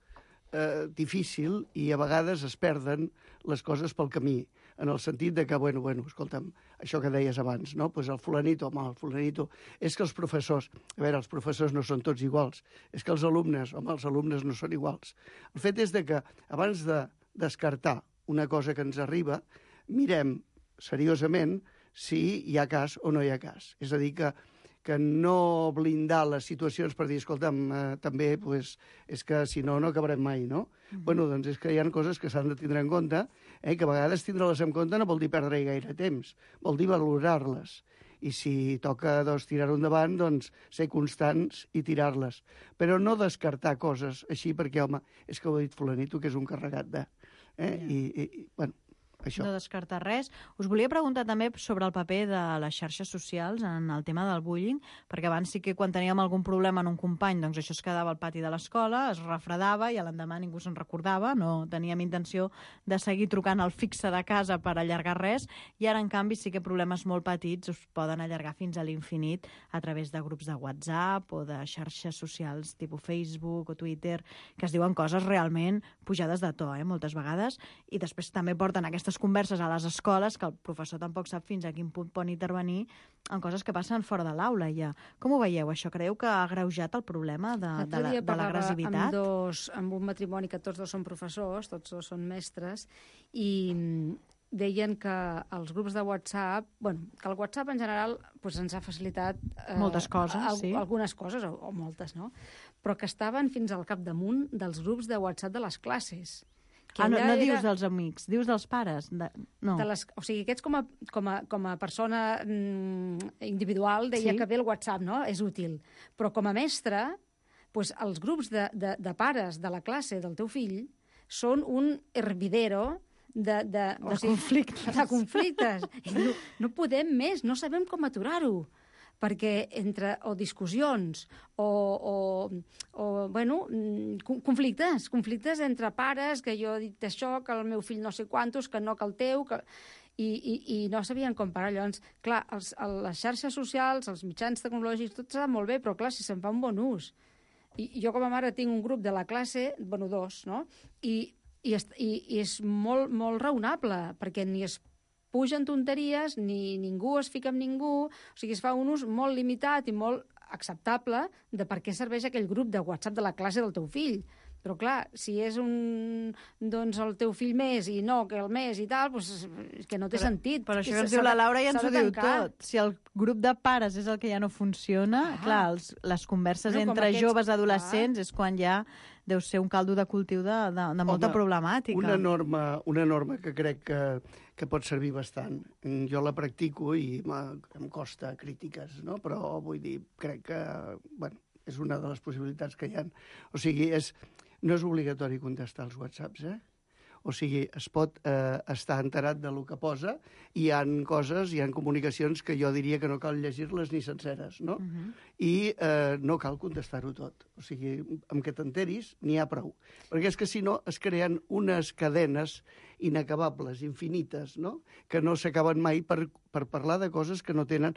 eh, difícil i a vegades es perden les coses pel camí. en el sentit de que, bueno, bueno, escolta'm, això que deies abans, no? Pues el fulanito, home, el fulanito... És que els professors... A veure, els professors no són tots iguals. És que els alumnes, home, els alumnes no són iguals. El fet és de que, abans de descartar una cosa que ens arriba, mirem seriosament si hi ha cas o no hi ha cas. És a dir, que, que no blindar les situacions per dir, escolta'm, eh, també, pues, és que si no, no acabarem mai, no? Mm-hmm. Bueno, doncs és que hi ha coses que s'han de tindre en compte, eh, que a vegades tindre-les en compte no vol dir perdre-hi gaire temps, vol dir valorar-les. I si toca doncs, tirar-ho endavant, doncs ser constants i tirar-les. Però no descartar coses així perquè, home, és que ho ha dit fulanito, que és un carregat de... Eh? Yeah. I, i, bueno, això. No descartar res. Us volia preguntar també sobre el paper de les xarxes socials en el tema del bullying, perquè abans sí que quan teníem algun problema en un company, doncs això es quedava al pati de l'escola, es refredava i a l'endemà ningú se'n recordava, no teníem intenció de seguir trucant al fixe de casa per allargar res, i ara, en canvi, sí que problemes molt petits us poden allargar fins a l'infinit a través de grups de WhatsApp o de xarxes socials tipus Facebook o Twitter, que es diuen coses realment pujades de to, eh, moltes vegades, i després també porten aquestes converses a les escoles que el professor tampoc sap fins a quin punt pot intervenir en coses que passen fora de l'aula ja. Com ho veieu, això? Creieu que ha agreujat el problema de, de, la, de l'agressivitat? Amb, dos, amb un matrimoni que tots dos són professors, tots dos són mestres, i deien que els grups de WhatsApp, bueno, que el WhatsApp en general pues, ens ha facilitat... Eh, moltes coses, al, sí. Algunes coses, o, o moltes, no? Però que estaven fins al capdamunt dels grups de WhatsApp de les classes. Ah, no, no dius dels amics, dius dels pares. De... No. De les, o sigui, aquests com a, com a, com a persona mm, individual deia sí. que bé el WhatsApp, no?, és útil. Però com a mestre, pues, els grups de, de, de pares de la classe del teu fill són un hervidero de, de, de, sigui, conflictes. de conflictes. I no, no podem més, no sabem com aturar-ho. Perquè entre o discussions o, o, o bueno, conflictes, conflictes entre pares, que jo he dit això, que el meu fill no sé quantos, que no que el teu, que... I, i, i no sabien com parar. Llavors, clar, els, les xarxes socials, els mitjans tecnològics, tot està molt bé, però clar, si se'n fa un bon ús. I jo com a mare tinc un grup de la classe, bueno, dos, no? I, i, i, i és molt, molt raonable, perquè ni es pugen tonteries, ni ningú es fica amb ningú, o sigui, es fa un ús molt limitat i molt acceptable de per què serveix aquell grup de WhatsApp de la classe del teu fill. Però, clar, si és un, doncs, el teu fill més i no que el més i tal, doncs, que no té però, sentit. Però això que ens diu la Laura ja ens ho diu tot. Si el grup de pares és el que ja no funciona, ah. clar, els, les converses no, entre aquests... joves adolescents ah. és quan ja deu ser un caldo de cultiu de, de, de molta Home, problemàtica. Una norma, una norma que crec que, que pot servir bastant. Jo la practico i em costa crítiques, no? Però vull dir, crec que bueno, és una de les possibilitats que hi ha. O sigui, és, no és obligatori contestar els whatsapps, eh? O sigui, es pot eh, estar enterat del que posa i hi ha coses, hi ha comunicacions que jo diria que no cal llegir-les ni senceres, no? Uh -huh. I eh, no cal contestar-ho tot. O sigui, amb que t'enteris n'hi ha prou. Perquè és que si no es creen unes cadenes inacabables, infinites, no? Que no s'acaben mai per, per parlar de coses que no tenen...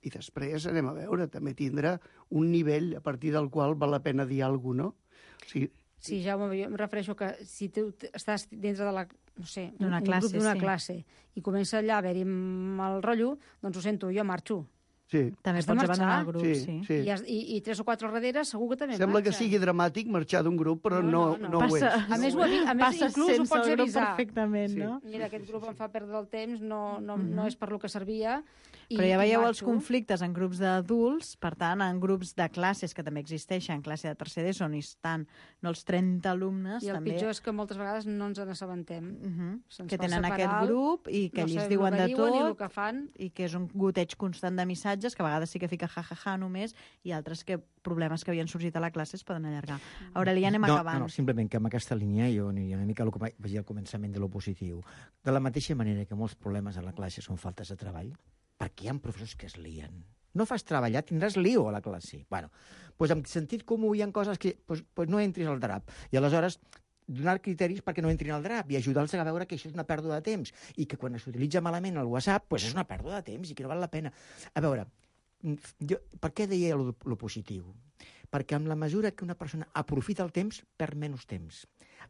I després anem a veure, també tindrà un nivell a partir del qual val la pena dir alguna cosa, no? O sigui, sí, Jaume, jo em refereixo que si tu estàs dintre de la, no sé, un, un grup d'una sí. classe i comença allà a haver-hi mal rotllo, doncs ho sento, jo marxo. Sí. També pots abandonar el grup, sí. sí. sí. I, I, I tres o quatre darrere segur que també Sembla marxa. que sigui dramàtic marxar d'un grup, però no, no, no, no ho Passa, és. A més, ho, a més inclús ho pots avisar. Perfectament, sí. no? Mira, aquest grup em fa perdre el temps, no, no, no és per lo que servia. I, però ja veieu i els conflictes en grups d'adults, per tant, en grups de classes que també existeixen, classe de tercer d'ESO, on hi estan no els trenta alumnes. I el també... pitjor és que moltes vegades no ens n'assabentem. Uh -huh. Se'ns que fa tenen separar, aquest grup i que no ells sabem diuen el que de diuen tot i el que fan. I que és un goteig constant de missatges que a vegades sí que fica ja-ja-ja només i altres que problemes que havien sorgit a la classe es poden allargar. Aurelia, anem no, acabant. No, no, simplement que amb aquesta línia jo aniria una mica al que vaig dir al començament de lo positiu. De la mateixa manera que molts problemes a la classe són faltes de treball, perquè hi ha professors que es lien. No fas treballar, tindràs lío a la classe. Bueno, doncs amb sentit comú hi ha coses que doncs, doncs no entris al drap. I aleshores donar criteris perquè no entrin al drap i ajudar-los a veure que això és una pèrdua de temps i que quan s'utilitza malament el WhatsApp doncs és una pèrdua de temps i que no val la pena. A veure, jo, per què deia lo, lo positiu? Perquè amb la mesura que una persona aprofita el temps, perd menys temps.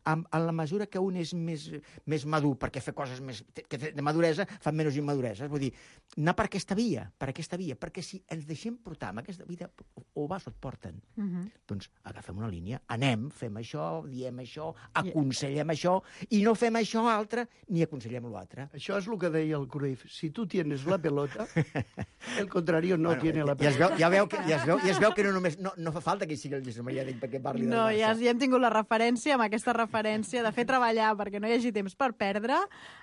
en, en la mesura que un és més, més madur, perquè fer coses més, que de maduresa fan menys immadureses. Vull dir, anar per aquesta via, per aquesta via, perquè si ens deixem portar amb aquesta vida, o vas o et porten. Uh -huh. Doncs agafem una línia, anem, fem això, diem això, aconsellem això, i no fem això altre, ni aconsellem l'altre. Això és el que deia el Cruyff. Si tu tienes la pelota, el contrario no bueno, tiene la pelota. Ja es veu, ja veu que, ja es veu, ja es veu que no només no, no fa falta que hi sigui el Jesús Maria Dic perquè parli del no, Barça. Ja, ja hem tingut la referència, amb aquesta referència de fer treballar perquè no hi hagi temps per perdre.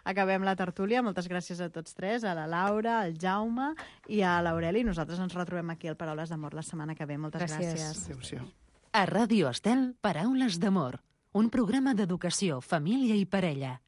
Acabem la tertúlia. Moltes gràcies a tots tres, a la Laura, al Jaume i a l'Aureli. Nosaltres ens retrobem aquí al Paraules d'Amor la setmana que ve. Moltes gràcies. gràcies. Adéu-siau. A Ràdio Estel, Paraules d'Amor, un programa d'educació, família i parella.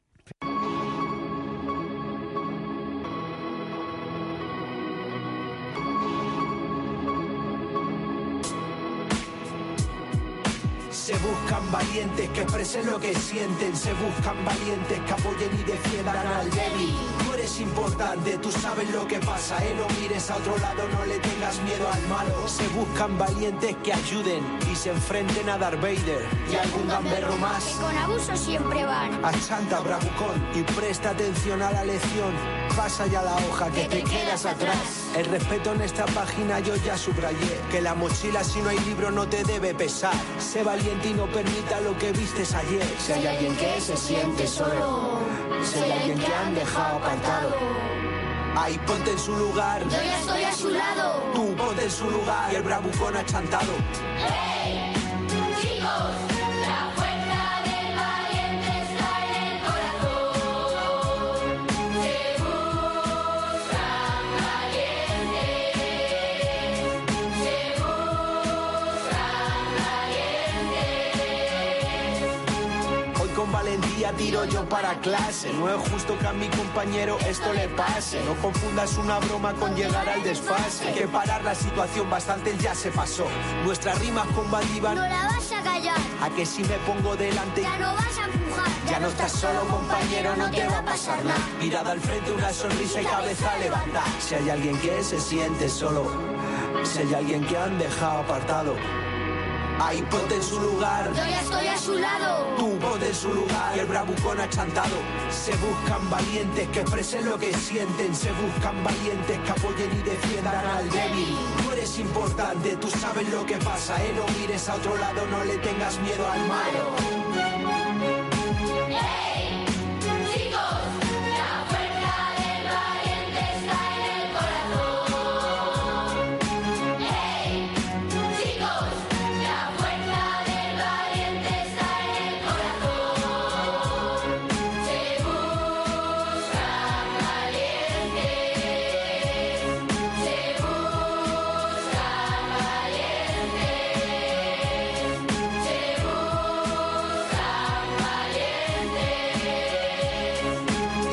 Se buscan valientes que expresen lo que sienten. Se buscan valientes que apoyen y defiendan al débil. Tú eres importante, tú sabes lo que pasa, eh. No mires a otro lado, no le tengas miedo al malo. Se buscan valientes que ayuden y se enfrenten a Darth Vader y a algún gamberro más. Que con abuso siempre van. Achanta, bravucón, y presta atención a la lección. Pasa ya la hoja que, que te, te quedas atrás. atrás. El respeto en esta página yo ya subrayé. Que la mochila si no hay libro no te debe pesar. Sé valiente y no permita lo que vistes ayer. Si hay alguien que se siente solo, si hay alguien que han dejado apartado, ahí ponte en su lugar. Yo ya estoy a su lado. Tú ponte en su lugar. Y el bravucón achantado. ¡Hey! Chicos, la fuerza del valiente está en el corazón. Se buscan valientes. Se buscan valientes. Hoy con valentía tiro yo para clase. No es justo que a mi compañero esto le pase. No confundas una broma con llegar al desfase. Hay que parar la situación, bastante ya se pasó. Nuestras rimas combativas no la vas a callar. A que si me pongo delante ya no vas a empujar. Ya, ya no estás solo, compañero, no te va a pasar nada. Mirada al frente, una sonrisa y cabeza a levantar. Si hay alguien que se siente solo, si hay alguien que han dejado apartado, ahí ponte en su lugar. Yo ya estoy a su lado. Tú ponte en su lugar. Y el bravucón achantado. Se buscan valientes que expresen lo que sienten. Se buscan valientes que apoyen y defiendan al débil. Tú eres importante, tú sabes lo que pasa, eh. No mires a otro lado, no le tengas miedo al malo. ¡Hey! Chicos, la fuerza del valiente está en el corazón. ¡Hey! Chicos, la fuerza del valiente está en el corazón. Se buscan valientes. Se buscan valientes. Se buscan valientes.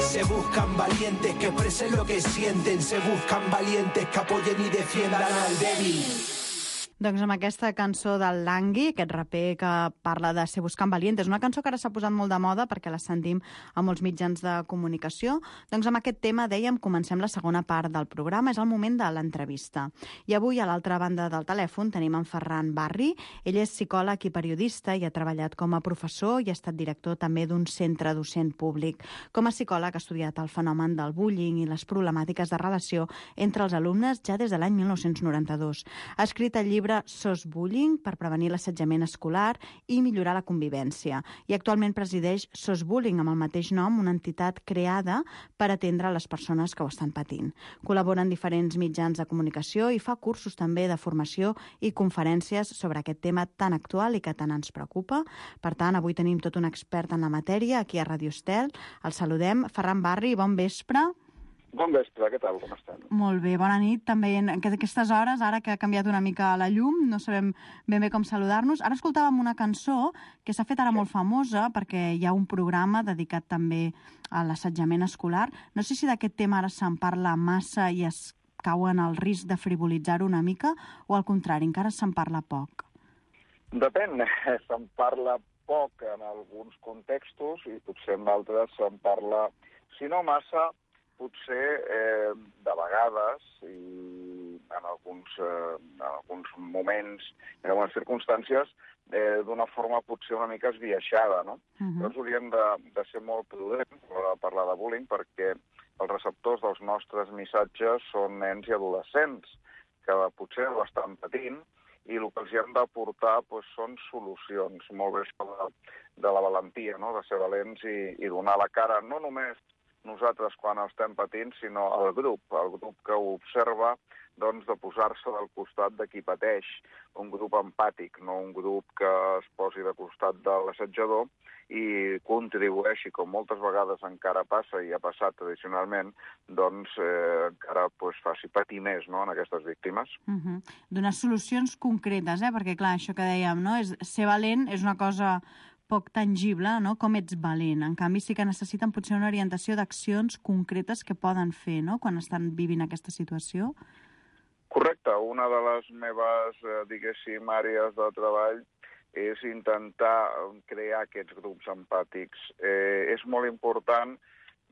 Se buscan valientes que expresen lo que sienten. Se buscan valientes que apoyen y defiendan al débil. Doncs amb aquesta cançó del Langui, aquest raper que parla de ser buscant valientes, una cançó que ara s'ha posat molt de moda perquè la sentim a molts mitjans de comunicació, doncs amb aquest tema, dèiem, comencem la segona part del programa, és el moment de l'entrevista. I avui, a l'altra banda del telèfon, tenim en Ferran Barri. Ell és psicòleg i periodista i ha treballat com a professor i ha estat director també d'un centre docent públic. Com a psicòleg ha estudiat el fenomen del bullying i les problemàtiques de relació entre els alumnes ja des de l'any mil nou-cents noranta-dos. Ha escrit el llibre Sos Bullying per prevenir l'assetjament escolar i millorar la convivència. I actualment presideix Sos Bullying, amb el mateix nom, una entitat creada per atendre les persones que ho estan patint. Col·labora en diferents mitjans de comunicació i fa cursos també de formació i conferències sobre aquest tema tan actual i que tant ens preocupa. Per tant, avui tenim tot un expert en la matèria aquí a Ràdio Estel. El saludem. Ferran Barri, bon vespre. Bon vespre, què tal, com estan? Molt bé, bona nit. També en aquestes hores, ara que ha canviat una mica la llum, no sabem ben bé com saludar-nos. Ara escoltàvem una cançó que s'ha fet ara molt famosa perquè hi ha un programa dedicat també a l'assetjament escolar. No sé si d'aquest tema ara se'n parla massa i es cau en el risc de frivolitzar-ho una mica o al contrari, encara se'n parla poc. Depèn, se'n parla poc en alguns contextos i potser en d'altres se'n parla, si no massa, potser eh, de vegades i en alguns, eh, en alguns moments, en algunes circumstàncies, eh, d'una forma potser una mica esbiaixada, no? Mhm. Llavors hauríem de, de ser molt prudents a l'hora de parlar de bullying, perquè els receptors dels nostres missatges són nens i adolescents, que potser ho estan patint, i el que els hem d'aportar doncs, són solucions. Molt bé això de, de la valentia, no? De ser valents i, i donar la cara, no només nosaltres quan estem patint, sinó el grup, el grup que ho observa, doncs, de posar-se del costat de qui pateix, un grup empàtic, no un grup que es posi de costat de l'assetjador i contribueixi, com moltes vegades encara passa i ha passat tradicionalment, doncs eh, encara pues, faci patir més, no?, en aquestes víctimes. Uh -huh. Donar solucions concretes, eh? Perquè clar, això que dèiem, no? És, ser valent és una cosa poc tangible, no? Com ets valent. En canvi, sí que necessiten potser una orientació d'accions concretes que poden fer, no?, quan estan vivint aquesta situació. Correcte. Una de les meves, eh, diguéssim, àrees de treball és intentar crear aquests grups empàtics. Eh, és molt important.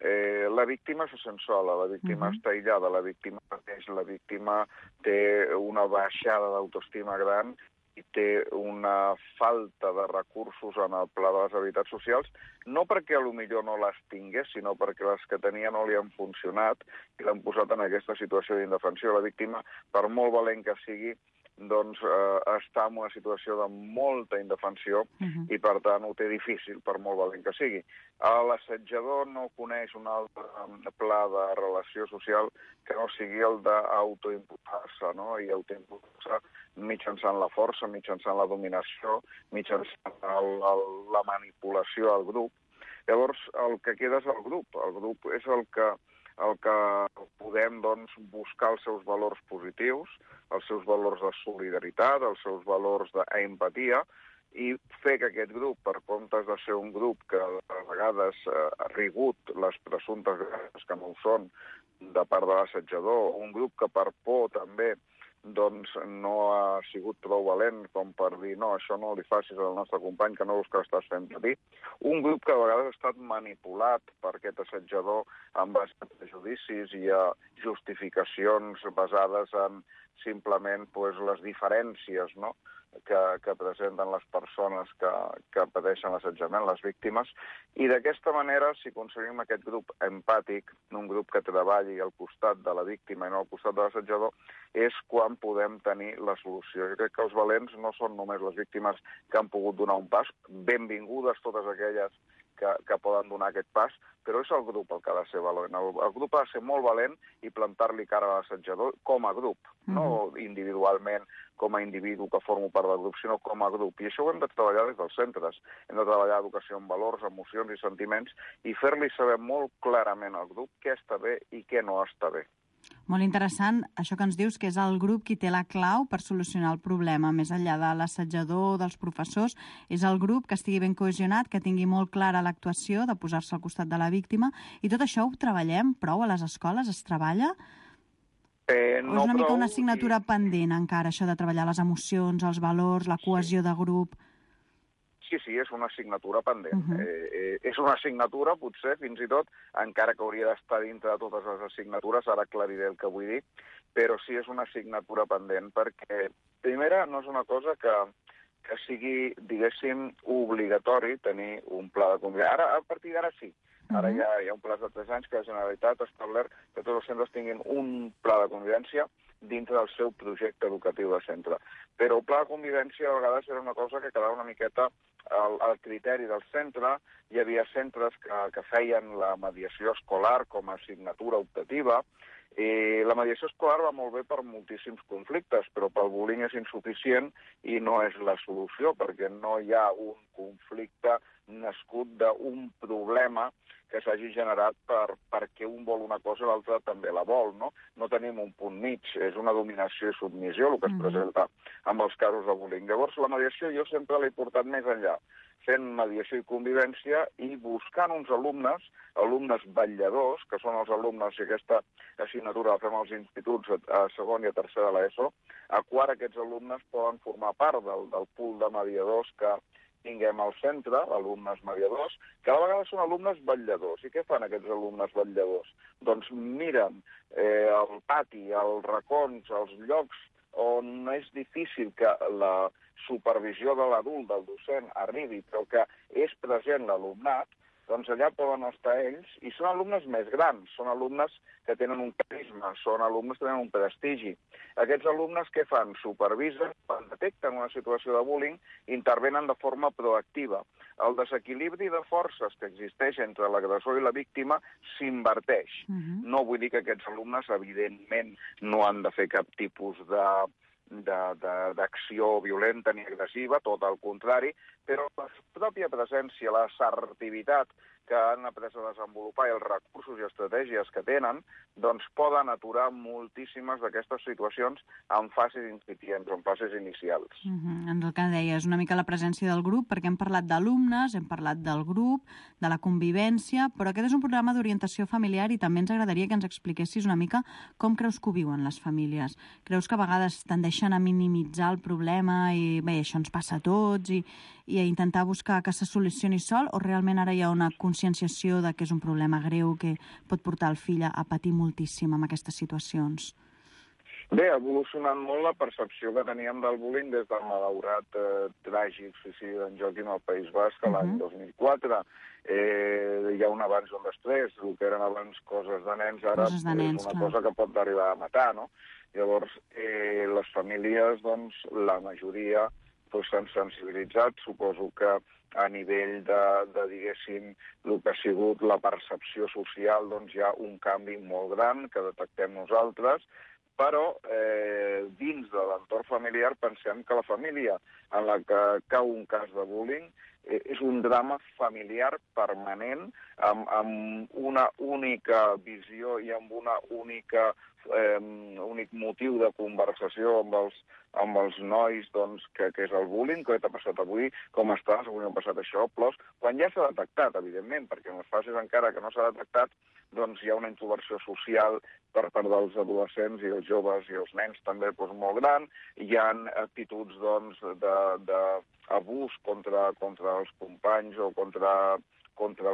Eh, la víctima se sent sola, la víctima uh-huh. està aïllada, la víctima pateix, la víctima té una baixada d'autoestima gran i té una falta de recursos en el pla de les habilitats socials, no perquè potser no les tingués, sinó perquè les que tenia no li han funcionat i l'han posat en aquesta situació d'indefensió. La víctima, per molt valent que sigui, doncs eh, està en una situació de molta indefensió uh-huh. i, per tant, ho té difícil, per molt valent que sigui. L'assetjador no coneix un altre pla de relació social que no sigui el d'autoimputar-se, no?, i autoimputar-se mitjançant la força, mitjançant la dominació, mitjançant el, el, la manipulació al grup. Llavors, el que queda és el grup. El grup és el que, el que podem doncs, buscar els seus valors positius, els seus valors de solidaritat, els seus valors d'empatia, i fer que aquest grup, per comptes de ser un grup que a vegades ha rigut les presumptes grans que no ho són de part de l'assetjador, un grup que per por també doncs no ha sigut prou valent com per dir no, això no li facis al nostre company que no veus que l'estàs fent patir. Un grup que a vegades ha estat manipulat per aquest assetjador amb base a prejudicis i a justificacions basades en simplement pues, les diferències, no?, que, que presenten les persones que, que pateixen l'assetjament, les víctimes, i d'aquesta manera, si aconseguim aquest grup empàtic, un grup que treballi al costat de la víctima i no al costat de l'assetjador, és quan podem tenir la solució. Jo crec que els valents no són només les víctimes que han pogut donar un pas, benvingudes totes aquelles que, que poden donar aquest pas, però és el grup el que ha de ser valent. El, el grup ha de ser molt valent i plantar-li cara a l'assetjador com a grup, mm-hmm. no individualment, com a individu que formo part del grup, sinó com a grup. I això ho hem de treballar des dels centres. Hem de treballar educació en valors, emocions i sentiments i fer-li saber molt clarament al grup què està bé i què no està bé. Molt interessant això que ens dius, que és el grup qui té la clau per solucionar el problema, més enllà de l'assetjador, dels professors, és el grup que estigui ben cohesionat, que tingui molt clara l'actuació de posar-se al costat de la víctima, i tot això ho treballem prou a les escoles? Es treballa? Eh, no o és una mica prou, una assignatura i... pendent encara, això de treballar les emocions, els valors, la cohesió sí. de grup? Sí, sí, és una assignatura pendent. Uh-huh. eh, eh, és una assignatura, potser, fins i tot, encara que hauria d'estar dintre de totes les assignatures, ara aclariré el que vull dir, però sí és una assignatura pendent, perquè, primera, no és una cosa que, que sigui, diguéssim, obligatori tenir un pla de convivència. Ara, a partir d'ara sí. Ara uh-huh. hi, ha, hi ha un pla de tres anys que la Generalitat ha establert que tots els centres tinguin un pla de convivència dintre del seu projecte educatiu de centre. Però el pla de convivència a vegades era una cosa que quedava una miqueta al, al criteri del centre. Hi havia centres que, que feien la mediació escolar com a assignatura optativa. I la mediació escolar va molt bé per moltíssims conflictes, però pel bullying és insuficient i no és la solució, perquè no hi ha un conflicte nascut d'un problema que s'hagi generat per, perquè un vol una cosa i l'altre també la vol, no? No tenim un punt mig, és una dominació i submissió el que es presenta amb els casos de bullying. Llavors, la mediació jo sempre l'he portat més enllà, fent mediació i convivència i buscant uns alumnes, alumnes vetlladors, que són els alumnes, i aquesta assignatura la fem als instituts a segon i a tercer de l'ESO, a quart aquests alumnes poden formar part del, del pool de mediadors que tinguem al centre, alumnes mediadors, que a vegades són alumnes vetlladors. I què fan aquests alumnes vetlladors? Doncs miren eh, el pati, els racons, els llocs on és difícil que la supervisió de l'adult, del docent, arribi, però que és present l'alumnat, doncs allà poden estar ells, i són alumnes més grans, són alumnes que tenen un carisma, són alumnes que tenen un prestigi. Aquests alumnes què fan? Supervisen, quan detecten una situació de bullying, intervenen de forma proactiva. El desequilibri de forces que existeix entre l'agressor i la víctima s'inverteix. Uh-huh. No vull dir que aquests alumnes, evidentment, no han de fer cap tipus de d'acció violenta ni agressiva, tot el contrari, però la pròpia presència, l'assertivitat que han après a desenvolupar i els recursos i estratègies que tenen, doncs poden aturar moltíssimes d'aquestes situacions en fases incipients, en fases inicials. Uh-huh. En el que deies, una mica la presència del grup, perquè hem parlat d'alumnes, hem parlat del grup, de la convivència, però aquest és un programa d'orientació familiar i també ens agradaria que ens expliquessis una mica com creus que ho viuen les famílies. Creus que a vegades tendeixen a minimitzar el problema i bé, això ens passa a tots i, i a intentar buscar que se solucioni sol, o realment ara hi ha una conscienciació de que és un problema greu que pot portar el fill a patir moltíssim en aquestes situacions? Bé, ha evolucionat molt la percepció que teníem del bullying des del malaurat eh, tràgic suïcidi d'en Joaquim al País Basc uh-huh. l'any dos mil quatre. Eh, hi ha un abans i un després. El que eren abans coses de nens, ara coses de nens, és una clar. cosa que pot arribar a matar, no? Llavors, eh, les famílies, doncs, la majoria doncs, s'han sensibilitzat. Suposo que a nivell de, de, diguéssim, el que ha sigut la percepció social, doncs hi ha un canvi molt gran que detectem nosaltres, però eh, dins de l'entorn familiar pensem que la família en la que cau un cas de bullying eh, és un drama familiar permanent, amb, amb una única visió i amb una única eh, únic motiu de conversació amb els, amb els nois, doncs, que, que és el bullying, què t'ha passat avui, com estàs, avui m'ha passat això, plors, quan ja s'ha detectat, evidentment, perquè en les fases encara que no s'ha detectat, doncs hi ha una introversió social per part dels adolescents i els joves i els nens també doncs, molt gran. Hi ha actituds doncs, d'abús contra, contra els companys o contra, contra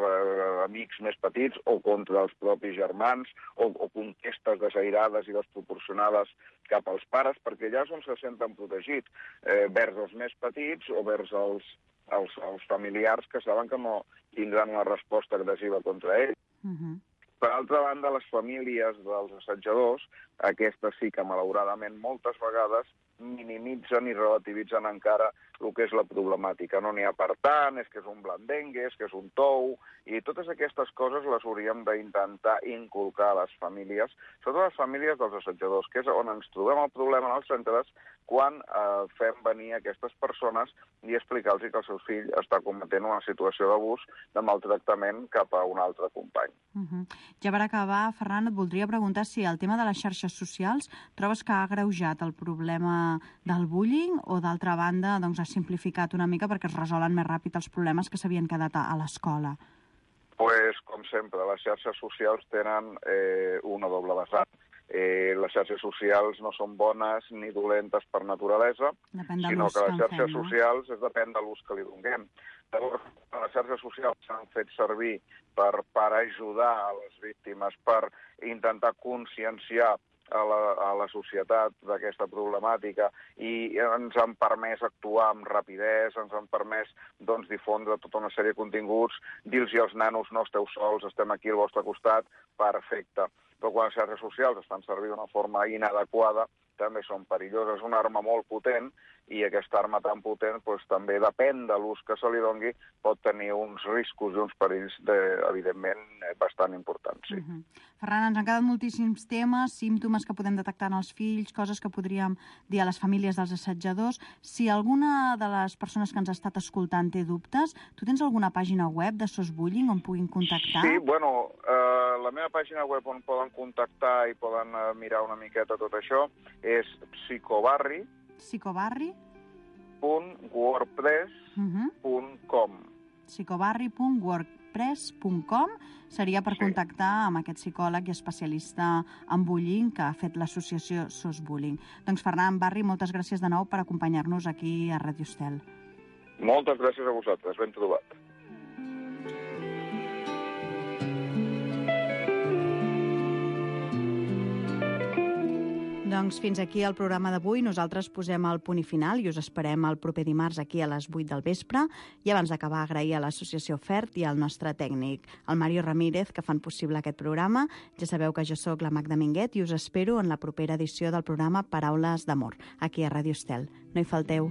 amics més petits o contra els propis germans o, o conquestes desairades i desproporcionades cap als pares, perquè allà és on se senten protegits, eh, vers els més petits o vers els, els, els familiars que saben que no tindran una resposta agressiva contra ells. Uh-huh. Per altra banda, les famílies dels assetjadors, aquestes sí que malauradament moltes vegades minimitzen i relativitzen encara el que és la problemàtica. No n'hi ha per tant, és que és un blandengue, és que és un tou, i totes aquestes coses les hauríem d'intentar inculcar a les famílies, sobretot les famílies dels assetjadors, que és on ens trobem el problema en els centres quan eh, fem venir aquestes persones i explicar-los que el seu fill està cometent una situació d'abús, de maltractament cap a un altre company. Uh-huh. Ja per acabar, Ferran, et voldria preguntar si el tema de les xarxes socials trobes que ha agreujat el problema del bullying o, d'altra banda, doncs, ha simplificat una mica perquè es resolen més ràpid els problemes que s'havien quedat a, a l'escola? Pues, com sempre, les xarxes socials tenen eh, una doble vessant. Eh, les xarxes socials no són bones ni dolentes per naturalesa, sinó que les xarxes fem, no? socials es depèn de l'ús que li donem. Llavors, les xarxes socials s'han fet servir per, per ajudar a les víctimes, per intentar conscienciar a la, a la societat d'aquesta problemàtica i ens han permès actuar amb rapidesa, ens han permès doncs, difondre tota una sèrie de continguts, dir-los als nanos no esteu sols, estem aquí al vostre costat, perfecte. Però quan les xarxes socials estan servint d'una forma inadequada, també són perilloses. És una arma molt potent i aquesta arma tan potent doncs, també depèn de l'ús que se li doni, pot tenir uns riscos i uns perills, de, evidentment, bastant importants. Sí. Uh-huh. Ferran, ens han quedat moltíssims temes, símptomes que podem detectar en els fills, coses que podríem dir a les famílies dels assetjadors. Si alguna de les persones que ens ha estat escoltant té dubtes, tu tens alguna pàgina web de SOS Bullying on puguin contactar? Sí, bueno, eh, la meva pàgina web on poden contactar i poden eh, mirar una miqueta tot això és psicobarri psicobarri punt wordpress punt com psicobarri punt wordpress punt com seria per sí. contactar amb aquest psicòleg i especialista en bullying que ha fet l'associació SOS Bullying. Doncs Ferran Barri, moltes gràcies de nou per acompanyar-nos aquí a Ràdio Estel. Moltes gràcies a vosaltres, ben trobat. Doncs fins aquí el programa d'avui. Nosaltres posem el punt i final i us esperem el proper dimarts aquí a les vuit del vespre. I abans d'acabar, agrair a l'associació FERT i al nostre tècnic, el Mario Ramírez, que fan possible aquest programa. Ja sabeu que jo sóc la Magda Minguet i us espero en la propera edició del programa Paraules d'Amor, aquí a Ràdio Estel. No hi falteu.